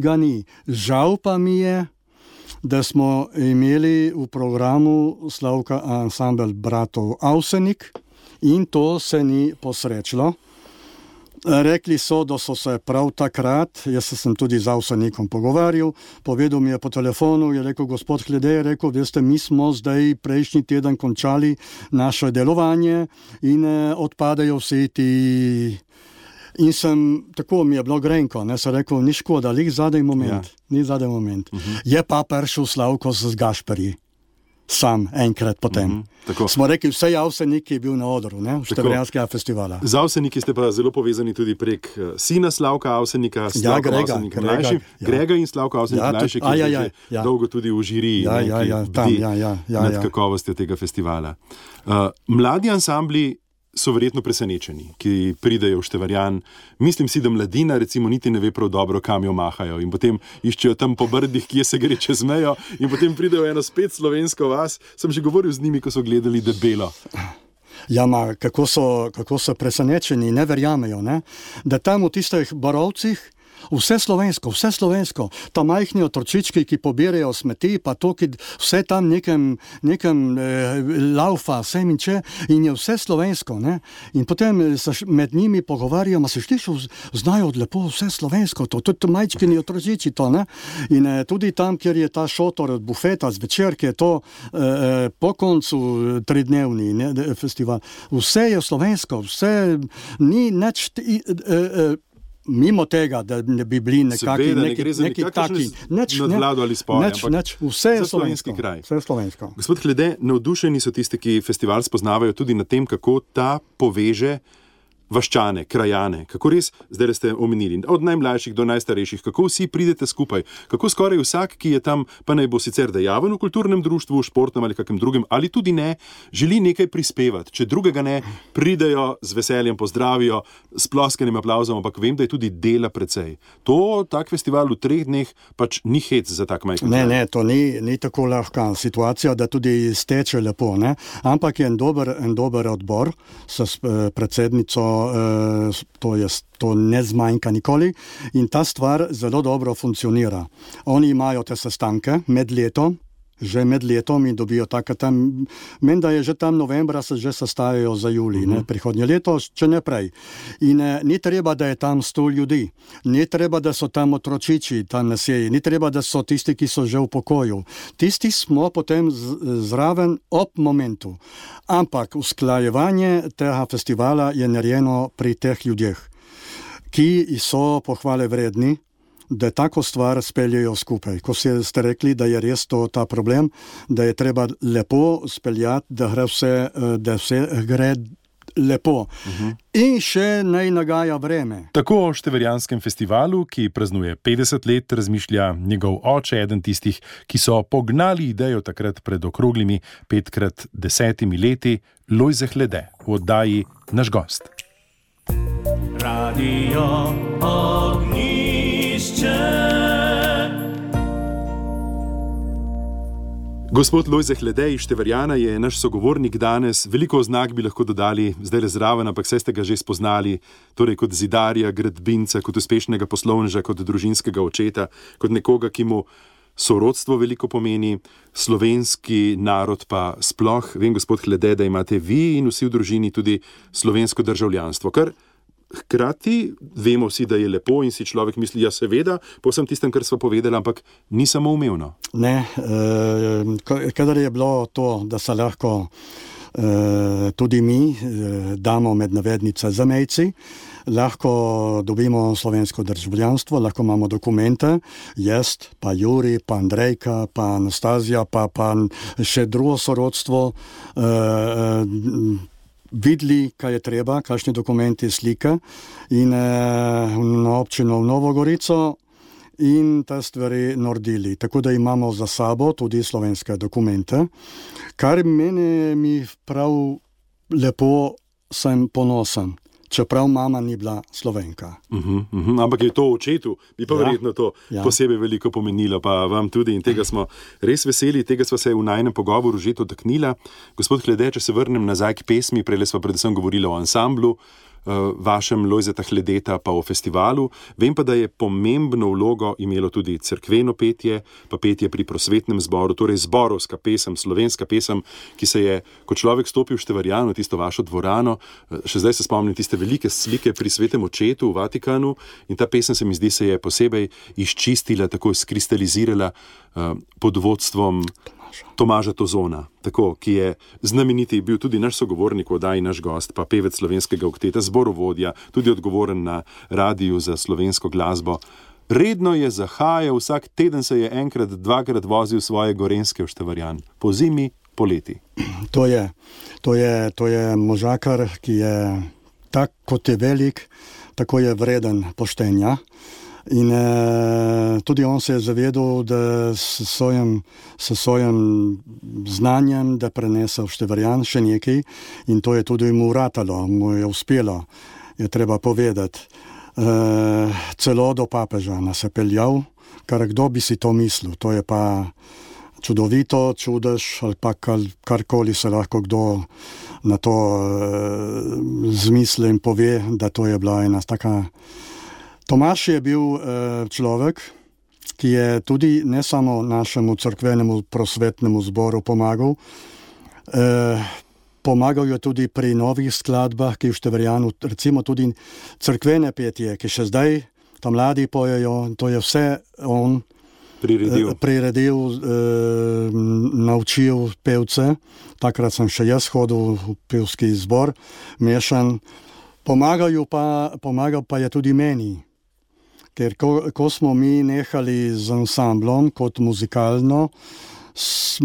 ga ni. Žal pa mi je, da smo imeli v programu Slavka ansambel bratov Avsenik in to se ni posrečilo. Rekli so, da so se prav takrat, jaz sem tudi z Avsenikom pogovarjal, povedal mi je po telefonu, je rekel, gospod Hlede, je rekel, veste, mi smo zdaj prejšnji teden končali naše delovanje in eh, odpadajo vsi ti... In sem, tako mi je bilo grenko, ne, sem rekel, ni škoda, lih zadaj moment, ja. ni zadaj moment. Uh-huh. Je pa prišel Slavko z Gašperji, sam enkrat potem. Uh-huh. Smo rekli, vse Avsenik je bil na odru, ne, v Števerjanskega festivala. Z Avseniki ste pa zelo povezani tudi prek sina Slavka Avsenika, Slavka ja, Grega, Avsenik Grega, mlajši, ja. Grega in Slavka Avsenik ja, mlajši, ki ja, ja, ja. dolgo tudi v žiriji, ja, ne, ja, ja, ki tam, bdi ja, ja, ja, nad ja. kakovostjo tega festivala. Uh, mladi ansambli so verjetno presenečeni, ki pridejo v Števerjan. Mislim si, da mladina recimo niti ne ve prav dobro, kam jo mahajo in potem iščejo tam po brdih, kje se gre čez mejo in potem pridejo eno spet slovensko vas. Sem že govoril z njimi, ko so gledali Debelo. Ja, ma, kako so, kako so presenečeni, ne verjamejo, ne? Da tam v tistih borovcih Vse slovensko, vse slovensko. Ta majhni otročički, ki pobirajo smeti, pa to, ki vse tam nekem, nekem eh, laufa, sem in če, in je vse slovensko. Ne? In potem se med njimi pogovarjamo, se šliš, znajo lepo vse slovensko, to, tudi majčkini otročiči to. Ne? In eh, tudi tam, kjer je ta šotor od bufeta zvečer, ki je to eh, po koncu tridnevni ne, festival, vse je slovensko, vse ni neč... Eh, eh, mimo tega, da ne bi bili nekaki, Seveda, neki, ne neki taki, neč, nadvlado ali spolje, neč, neč, vse je slovensko. Kraj. Vse je slovensko. Gospod Hlede, navdušeni so tisti, ki festival spoznavajo tudi na tem, kako ta poveže vaščane, krajane, kako res, zdaj ste omenili, od najmlajših do najstarejših, kako vsi pridete skupaj, kako skoraj vsak, ki je tam, pa naj bo sicer dejaven v kulturnem društvu, športnem ali kakem drugem, ali tudi ne, želi nekaj prispevati. Če drugega ne, pridejo z veseljem, pozdravijo, s ploskanjem, aplauzom, ampak vem, da je tudi dela precej. To, tak festival v treh dneh, pač ni hec za tak majhen. Ne, ne, to ni, ni tako lahka situacija, da tudi steče lepo, ne, ampak je en dober, en dober odbor s predsednico. To, je, to ne zmanjka nikoli in ta stvar zelo dobro funkcionira. Oni imajo te sestanke med letom, že med letom in dobijo tako tam, meni da je že tam novembra se že sestajajo za julij, uh-huh. ne, prihodnje leto, če ne prej. In eh, ni treba, da je tam sto ljudi, ni treba, da so tam otročiči, tam na seji, ni treba, da so tisti, ki so že v pokoju. Tisti smo potem z, zraven ob momentu. Ampak usklajevanje tega festivala je narejeno pri teh ljudeh, ki so pohvale vredni, da tako stvar speljejo skupaj. Ko ste rekli, da je res to ta problem, da je treba lepo speljati, da gre vse, da vse gre lepo. Uh-huh. In še naj nagaja vreme. Tako o Števerjanskem festivalu, ki praznuje petdeset let, razmišlja njegov oče, eden tistih, ki so pognali idejo takrat pred okroglimi petkrat desetimi leti, Lojze Hlede, v oddaji Naš gost. Radio Ognišče. Gospod Lojze Hlede iz Števerjana je naš sogovornik danes. Veliko oznak bi lahko dodali zdaj le zraven, ampak vse ste ga že spoznali, torej kot zidarja, gradbinca, kot uspešnega poslovneža, kot družinskega očeta, kot nekoga, ki mu sorodstvo veliko pomeni, slovenski narod pa sploh. Vem, gospod Hlede, da imate vi in vsi v družini tudi slovensko državljanstvo, kar hkrati vemo vsi, da je lepo in si človek misli, ja seveda, po vsem tistem, kar sva povedala, ampak ni samoumevno. Ne, eh, kadar je bilo to, da se lahko eh, tudi mi eh, damo med navednice zamejci, lahko dobimo slovensko državljanstvo, lahko imamo dokumente, jaz, pa Juri, pa Andrejka, pa Anastazija, pa, pa še drugo sorodstvo, eh, videli, kaj je treba, kakšni dokumenti, slike in eh, na občino v Novo Gorico in te stvari naredili. Tako da imamo za sabo tudi slovenske dokumente, kar meni mi prav lepo, sem ponosen. Čeprav mama ni bila Slovenka. Uh-huh, uh-huh. Ampak je to očetu, bi pa ja, verjetno to ja. posebej veliko pomenilo, pa vam tudi in tega smo res veseli, tega sva se v najnem pogovoru že dotaknila. Gospod Hlede, če se vrnem nazaj k pesmi, prej sva predvsem govorila o ansamblu, vašem Lojzeta Hledeta pa o festivalu. Vem pa, da je pomembno vlogo imelo tudi cerkveno petje, pa petje pri prosvetnem zboru, torej zborovska pesem, slovenska pesem, ki se je, ko človek stopil v Števerjano, tisto vašo dvorano, še zdaj se spomnim tiste velike slike pri svetem očetu v Vatikanu in ta pesem se mi zdi se je posebej izčistila, tako skristalizirala uh, pod vodstvom Tomaža Tozona, tako, ki je znameniti, bil tudi naš sogovornik v oddaji Naš gost, pa pevec slovenskega okteta, zborovodja, tudi odgovoren na radiju za slovensko glasbo. Redno je zahajal, vsak teden se je enkrat, dvakrat vozil svoje gorenjske v Števerjan, po zimi, po leti. To je, to je, to je možakar, ki je tak, kot je velik, tako je vreden poštenja. In eh, tudi on se je zavedal, da s svojim, s svojim znanjem, da prenese v Števerjan še nekaj in to je tudi mu uratalo, mu je uspelo, je treba povedati. Eh, celo do papeža nas je peljal, kar kdo bi si to mislil, to je pa čudovito, čudež ali pa kar, karkoli se lahko kdo na to eh, zmisli in pove, da to je bila ena taka Tomaž je bil uh, človek, ki je tudi ne samo našemu cerkvenemu prosvetnemu zboru pomagal, uh, pomagal je tudi pri novih skladbah, ki v Števerjanu, recimo tudi cerkvene petje, ki še zdaj ta mladi pojejo, to je vse on priredil, priredil uh, naučil pevce. Takrat sem še jaz hodil v pevski zbor, mešan. Pomagal pa, pomagal pa je tudi meni. Ker ko, ko smo mi nehali z ansamblom kot muzikalno,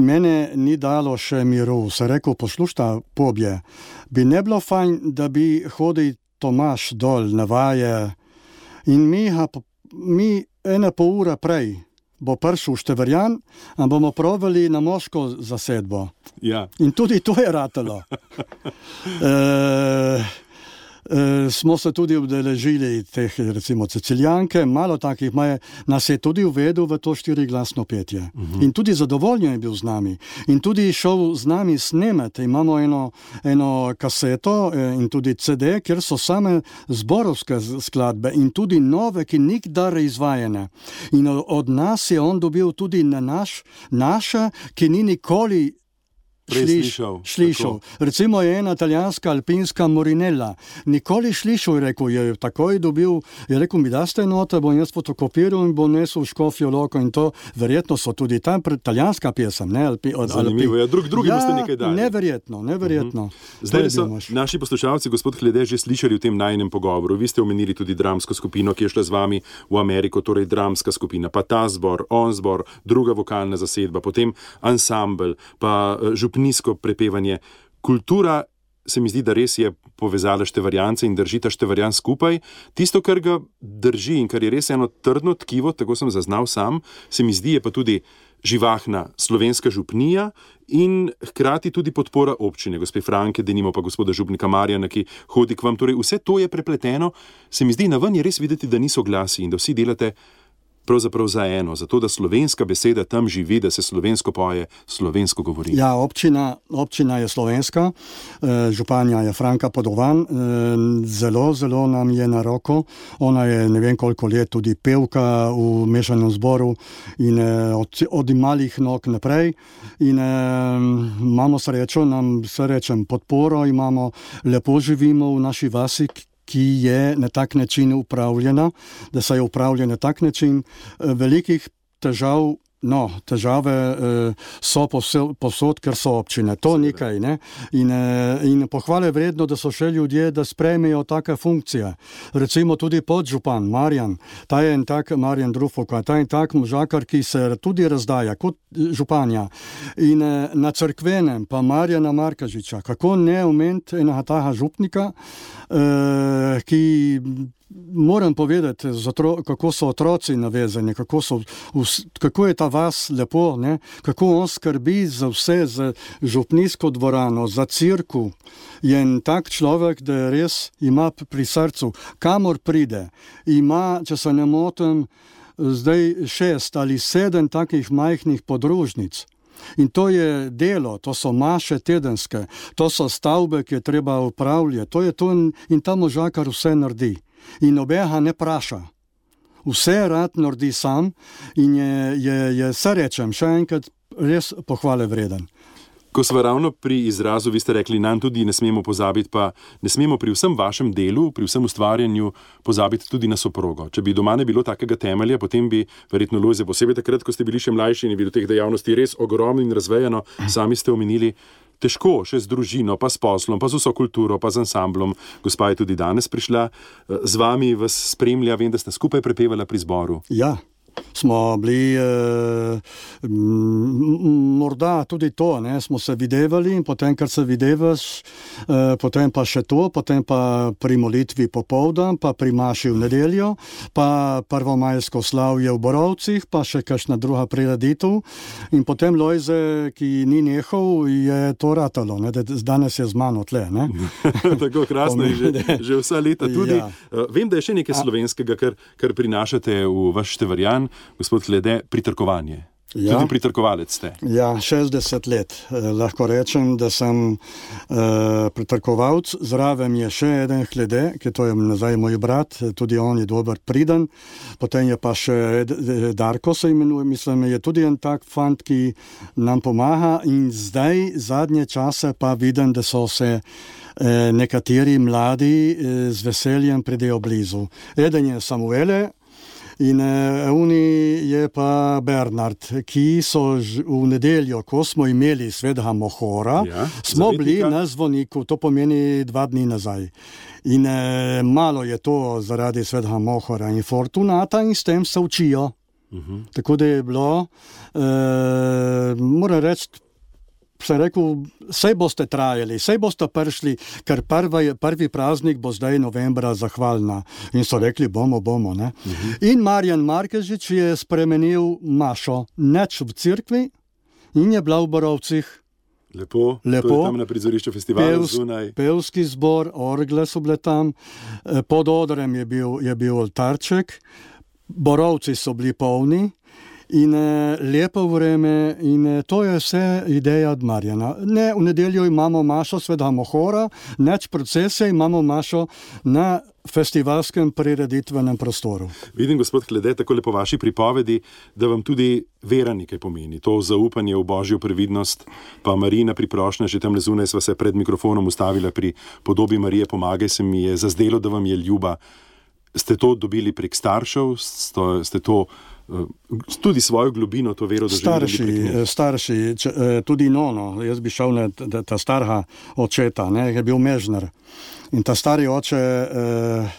mene ni dalo še miru. Se rekel, poslušta, pobje, bi ne bilo fajn, da bi hodil Tomaž dol na vaje in mi, mi ena pol ura prej bo prišel v Števerjan, a bomo provali na moško zasedbo. Ja. In tudi to je ratalo. e, E, smo se tudi udeležili teh, recimo, Cecilijanke, malo takih, maje, nas je tudi uvedel v to štiriglasno petje. Uh-huh. In tudi zadovoljen je bil z nami. In tudi šel z nami snemati. Imamo eno, eno kaseto in tudi C D, kjer so same zborovske skladbe in tudi nove, ki nikdar izvajene. In od nas je on dobil tudi na naš, naše, ki ni nikoli Slišal. slišal. Recimo je ena italijanska alpinska Morinella. Nikoli slišal, je rekel, je takoj dobil, je rekel, mi daste note, bom jaz fotokopiral in bom nesel v Škofjo Loko in to, verjetno so tudi tam italijanska pesem, ne? Alpi, od, Zanimivo, ja, drug, drugi ja, boste nekaj dali. Neverjetno, neverjetno. Uh-huh. Zdaj so naši poslušalci, gospod Hlede, že slišali v tem najinem pogovoru. Vi ste omenili tudi dramsko skupino, ki je šla z vami v Ameriko, torej dramska skupina, pa ta zbor, on zbor, druga vokalna zasedba, potem ansambel, pa župnijsko prepevanje. Kultura se mi zdi, da res je povezala Števerjance in držita Števerjan skupaj. Tisto, kar ga drži in kar je res eno trdno tkivo, tako sem zaznal sam, se mi zdi, je pa tudi živahna slovenska župnija in hkrati tudi podpora občine, gospe Franke, denimo pa gospoda župnika Marjana, ki hodi k vam. Torej, vse to je prepleteno. Se mi zdi, na ven je res videti, da niso glasi in da vsi delate pravzaprav za eno, zato da slovenska beseda tam živi, da se slovensko poje, slovensko govori. Ja, občina, občina je slovenska, županja je Franka Podovan, zelo, zelo nam je na roko. Ona je ne vem koliko let tudi pevka v mešanem zboru in od, od malih nog naprej. In imamo srečo, nam srečen podporo, imamo, lepo živimo v naši vasi, ki je na tak način upravljena, da se je upravljena na tak način. Velikih težav, no, težave so povsod, ker so občine. To nekaj, ne? In, in pohvale vredno, da so še ljudje, da sprejmejo take funkcije. Recimo tudi podžupan Marjan, ta je en tak, Marjan Drufoka, ta je en tak možakar, ki se tudi razdaja kot županja. In na cerkvenem pa Marjana Markažiča, kako ne omeniti enega taha župnika, ki moram povedati, kako so otroci navezani, kako, so, kako je ta vas lepo, ne? Kako on skrbi za vse, za župnijsko dvorano, za cirku. Je en tak človek, da res ima pri srcu, kamor pride. Ima, če se ne motim, zdaj šest ali sedem takih majhnih podružnic. In to je delo, to so maše tedenske, to so stavbe, ki je treba upravljati. To je to in, in ta možakar vse naredi. In obega ne praša. Vse rad naredi sam in je, je, je se rečem, še enkrat res pohvale vreden. Ko smo ravno pri izrazu, vi ste rekli, nam tudi ne smemo pozabiti, pa ne smemo pri vsem vašem delu, pri vsem ustvarjanju pozabiti tudi na soprogo. Če bi doma ne bilo takega temelja, potem bi verjetno Lojze, posebej takrat, ko ste bili še mlajši in je bilo teh dejavnosti res ogromno in razvejano, sami ste omenili, težko še z družino, pa s poslom, pa z vso kulturo, pa z ansamblom. Gospa je tudi danes prišla z vami, vas spremlja, vem, da ste skupaj prepevala pri zboru. Ja. Smo bili, eh, morda tudi to, ne, smo se videvali in potem, kar se videvaš, eh, potem pa še to, potem pa pri molitvi popoldan, pa pri maši v nedeljo, pa prvomajsko slavje v Borovcih, pa še kakšna druga prireditev. In potem Lojze, ki ni nehal, je to ratalo, ne, da danes je z mano tle. Ne. Tako krasno je že, že vsa leta tudi. Ja. Vem, da je še nekaj slovenskega, kar, kar prinašate v vaš Števerjan, gospod Hlede, pritrkovanje. Ja. Tudi pritrkovalec ste. Ja, šestdeset let. Eh, lahko rečem, da sem eh, pritrkovalc. Zraven je še eden Hlede, ki to je nazaj moj brat, tudi on je dober priden. Potem je pa še Darko se imenuje, mislim, je tudi en tak fant, ki nam pomaga in zdaj, zadnje čase pa vidim, da so se eh, nekateri mladi eh, z veseljem pridejo blizu. Eden je Samuele, in uh, oni je pa Bernard, ki so ž, v nedeljo, ko smo imeli svetega Mohora, ja, smo bili na zvoniku, to pomeni dva dni nazaj. In uh, malo je to zaradi svetega Mohora in Fortunata in s tem se učijo. Uh-huh. Tako da je bilo, uh, moram reči, se rekel, sej boste trajali, sej boste prišli, ker prvi, prvi praznik bo zdaj novembra zahvalna. In so rekli, bomo, bomo. Ne? Uh-huh. In Marjan Markežič je spremenil mašo neč v cerkvi in je bila v Borovcih. Lepo, Lepo. Tam na prizorišču festivala Pevs, zunaj. Pevski zbor, orgle so bile tam, pod odrem je bil, je bil oltarček, Borovci so bili polni, in eh, lepo vreme in eh, to je vse ideja od Marjana. Ne, v nedeljo imamo mašo svetega Mohora, neč procese imamo mašo na festivalskem prireditvenem prostoru. Vidim, gospod Hlede, tako lepo vaši pripovedi, da vam tudi vera nekaj pomeni. To zaupanje v Božjo previdnost, pa Marijina priprošnja, že tam zunaj sva se pred mikrofonom ustavila pri podobi Marije Pomagaj, se mi je zazdelo, da vam je ljuba. Ste to dobili prek staršev? Ste to tudi svojo globino, to vero doživeli? Starši, starši če, tudi nono. Jaz bi šel na ta, ta starha očeta, ne, je bil mežnar. In ta stari oče, eh,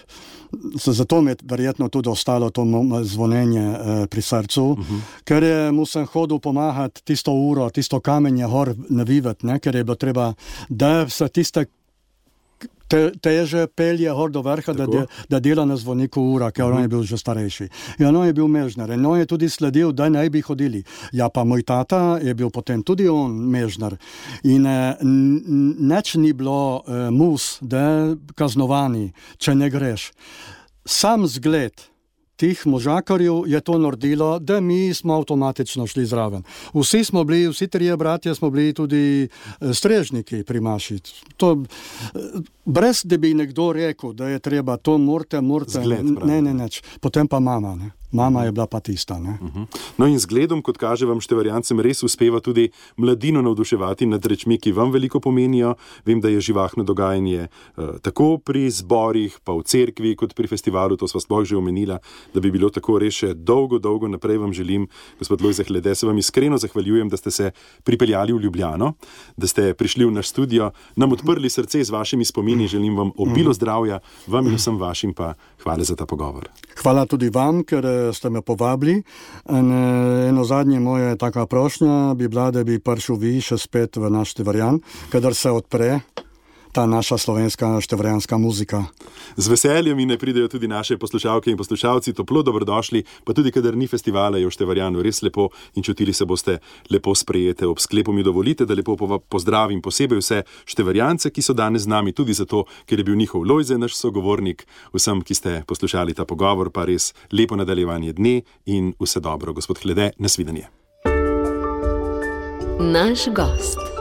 zato mi je verjetno tudi ostalo to zvonenje eh, pri srcu, uh-huh. ker je, mu sem hodil pomagati tisto uro, tisto kamenje hor navivati, ne, ker je bilo treba, da se tiste Te, teže pelje hor do vrha, da, de, da dela na zvoniku ura, ker uh-huh. on je bil že starejši. In on je bil mežnar. In on je tudi sledil, da naj bi hodili. Ja, pa moj tata je bil potem tudi on mežnar. In eh, neč ni bilo eh, mus, da kaznovani, če ne greš. Sam zgled tih možakarjev je to naredilo, da mi smo avtomatično šli zraven. Vsi smo bili, vsi trije bratje smo bili tudi strežniki pri maši. To, brez da bi nekdo rekel, da je treba to morte, morte, zgled, ne, ne, neč. Potem pa mama, ne. Mama je bila pa tista. Ne? Uh-huh. No in zgledom, kot kaže vam Števarjancem, res uspeva tudi mladino navduševati nad rečmi, ki vam veliko pomenijo. Vem, da je živahno dogajanje uh, tako pri zborih, pa v cerkvi, kot pri festivalu, to sva sploh že omenila, da bi bilo tako res še dolgo, dolgo naprej vam želim. Gospod Lojze Hlede, se vam iskreno zahvaljujem, da ste se pripeljali v Ljubljano, da ste prišli v naš studio, nam odprli srce z vašimi spomini, želim vam obilo zdravja, vam in vsem vašim pa hvala za ta pogovor. Hvala tudi vam, ker ste me povabili. En, eno zadnje moje taka prošnja bi bila, da bi prišel vi še spet v naš Števarjan, kadar se odpre ta naša slovenska števarjanska muzika. Z veseljem in ne pridejo tudi naše poslušalke in poslušalci, toplo dobrodošli, pa tudi kadar ni festivala, je v Števarjanu res lepo in čutili se boste lepo sprejete. Ob sklepu mi dovolite, da lepo pozdravim posebej vse Števarjance, ki so danes z nami, tudi zato, ker je bil njihov Lojze naš sogovornik. Vsem, ki ste poslušali ta pogovor, pa res lepo nadaljevanje dne in vse dobro. Gospod Hlede, nasvidenje. Naš gost.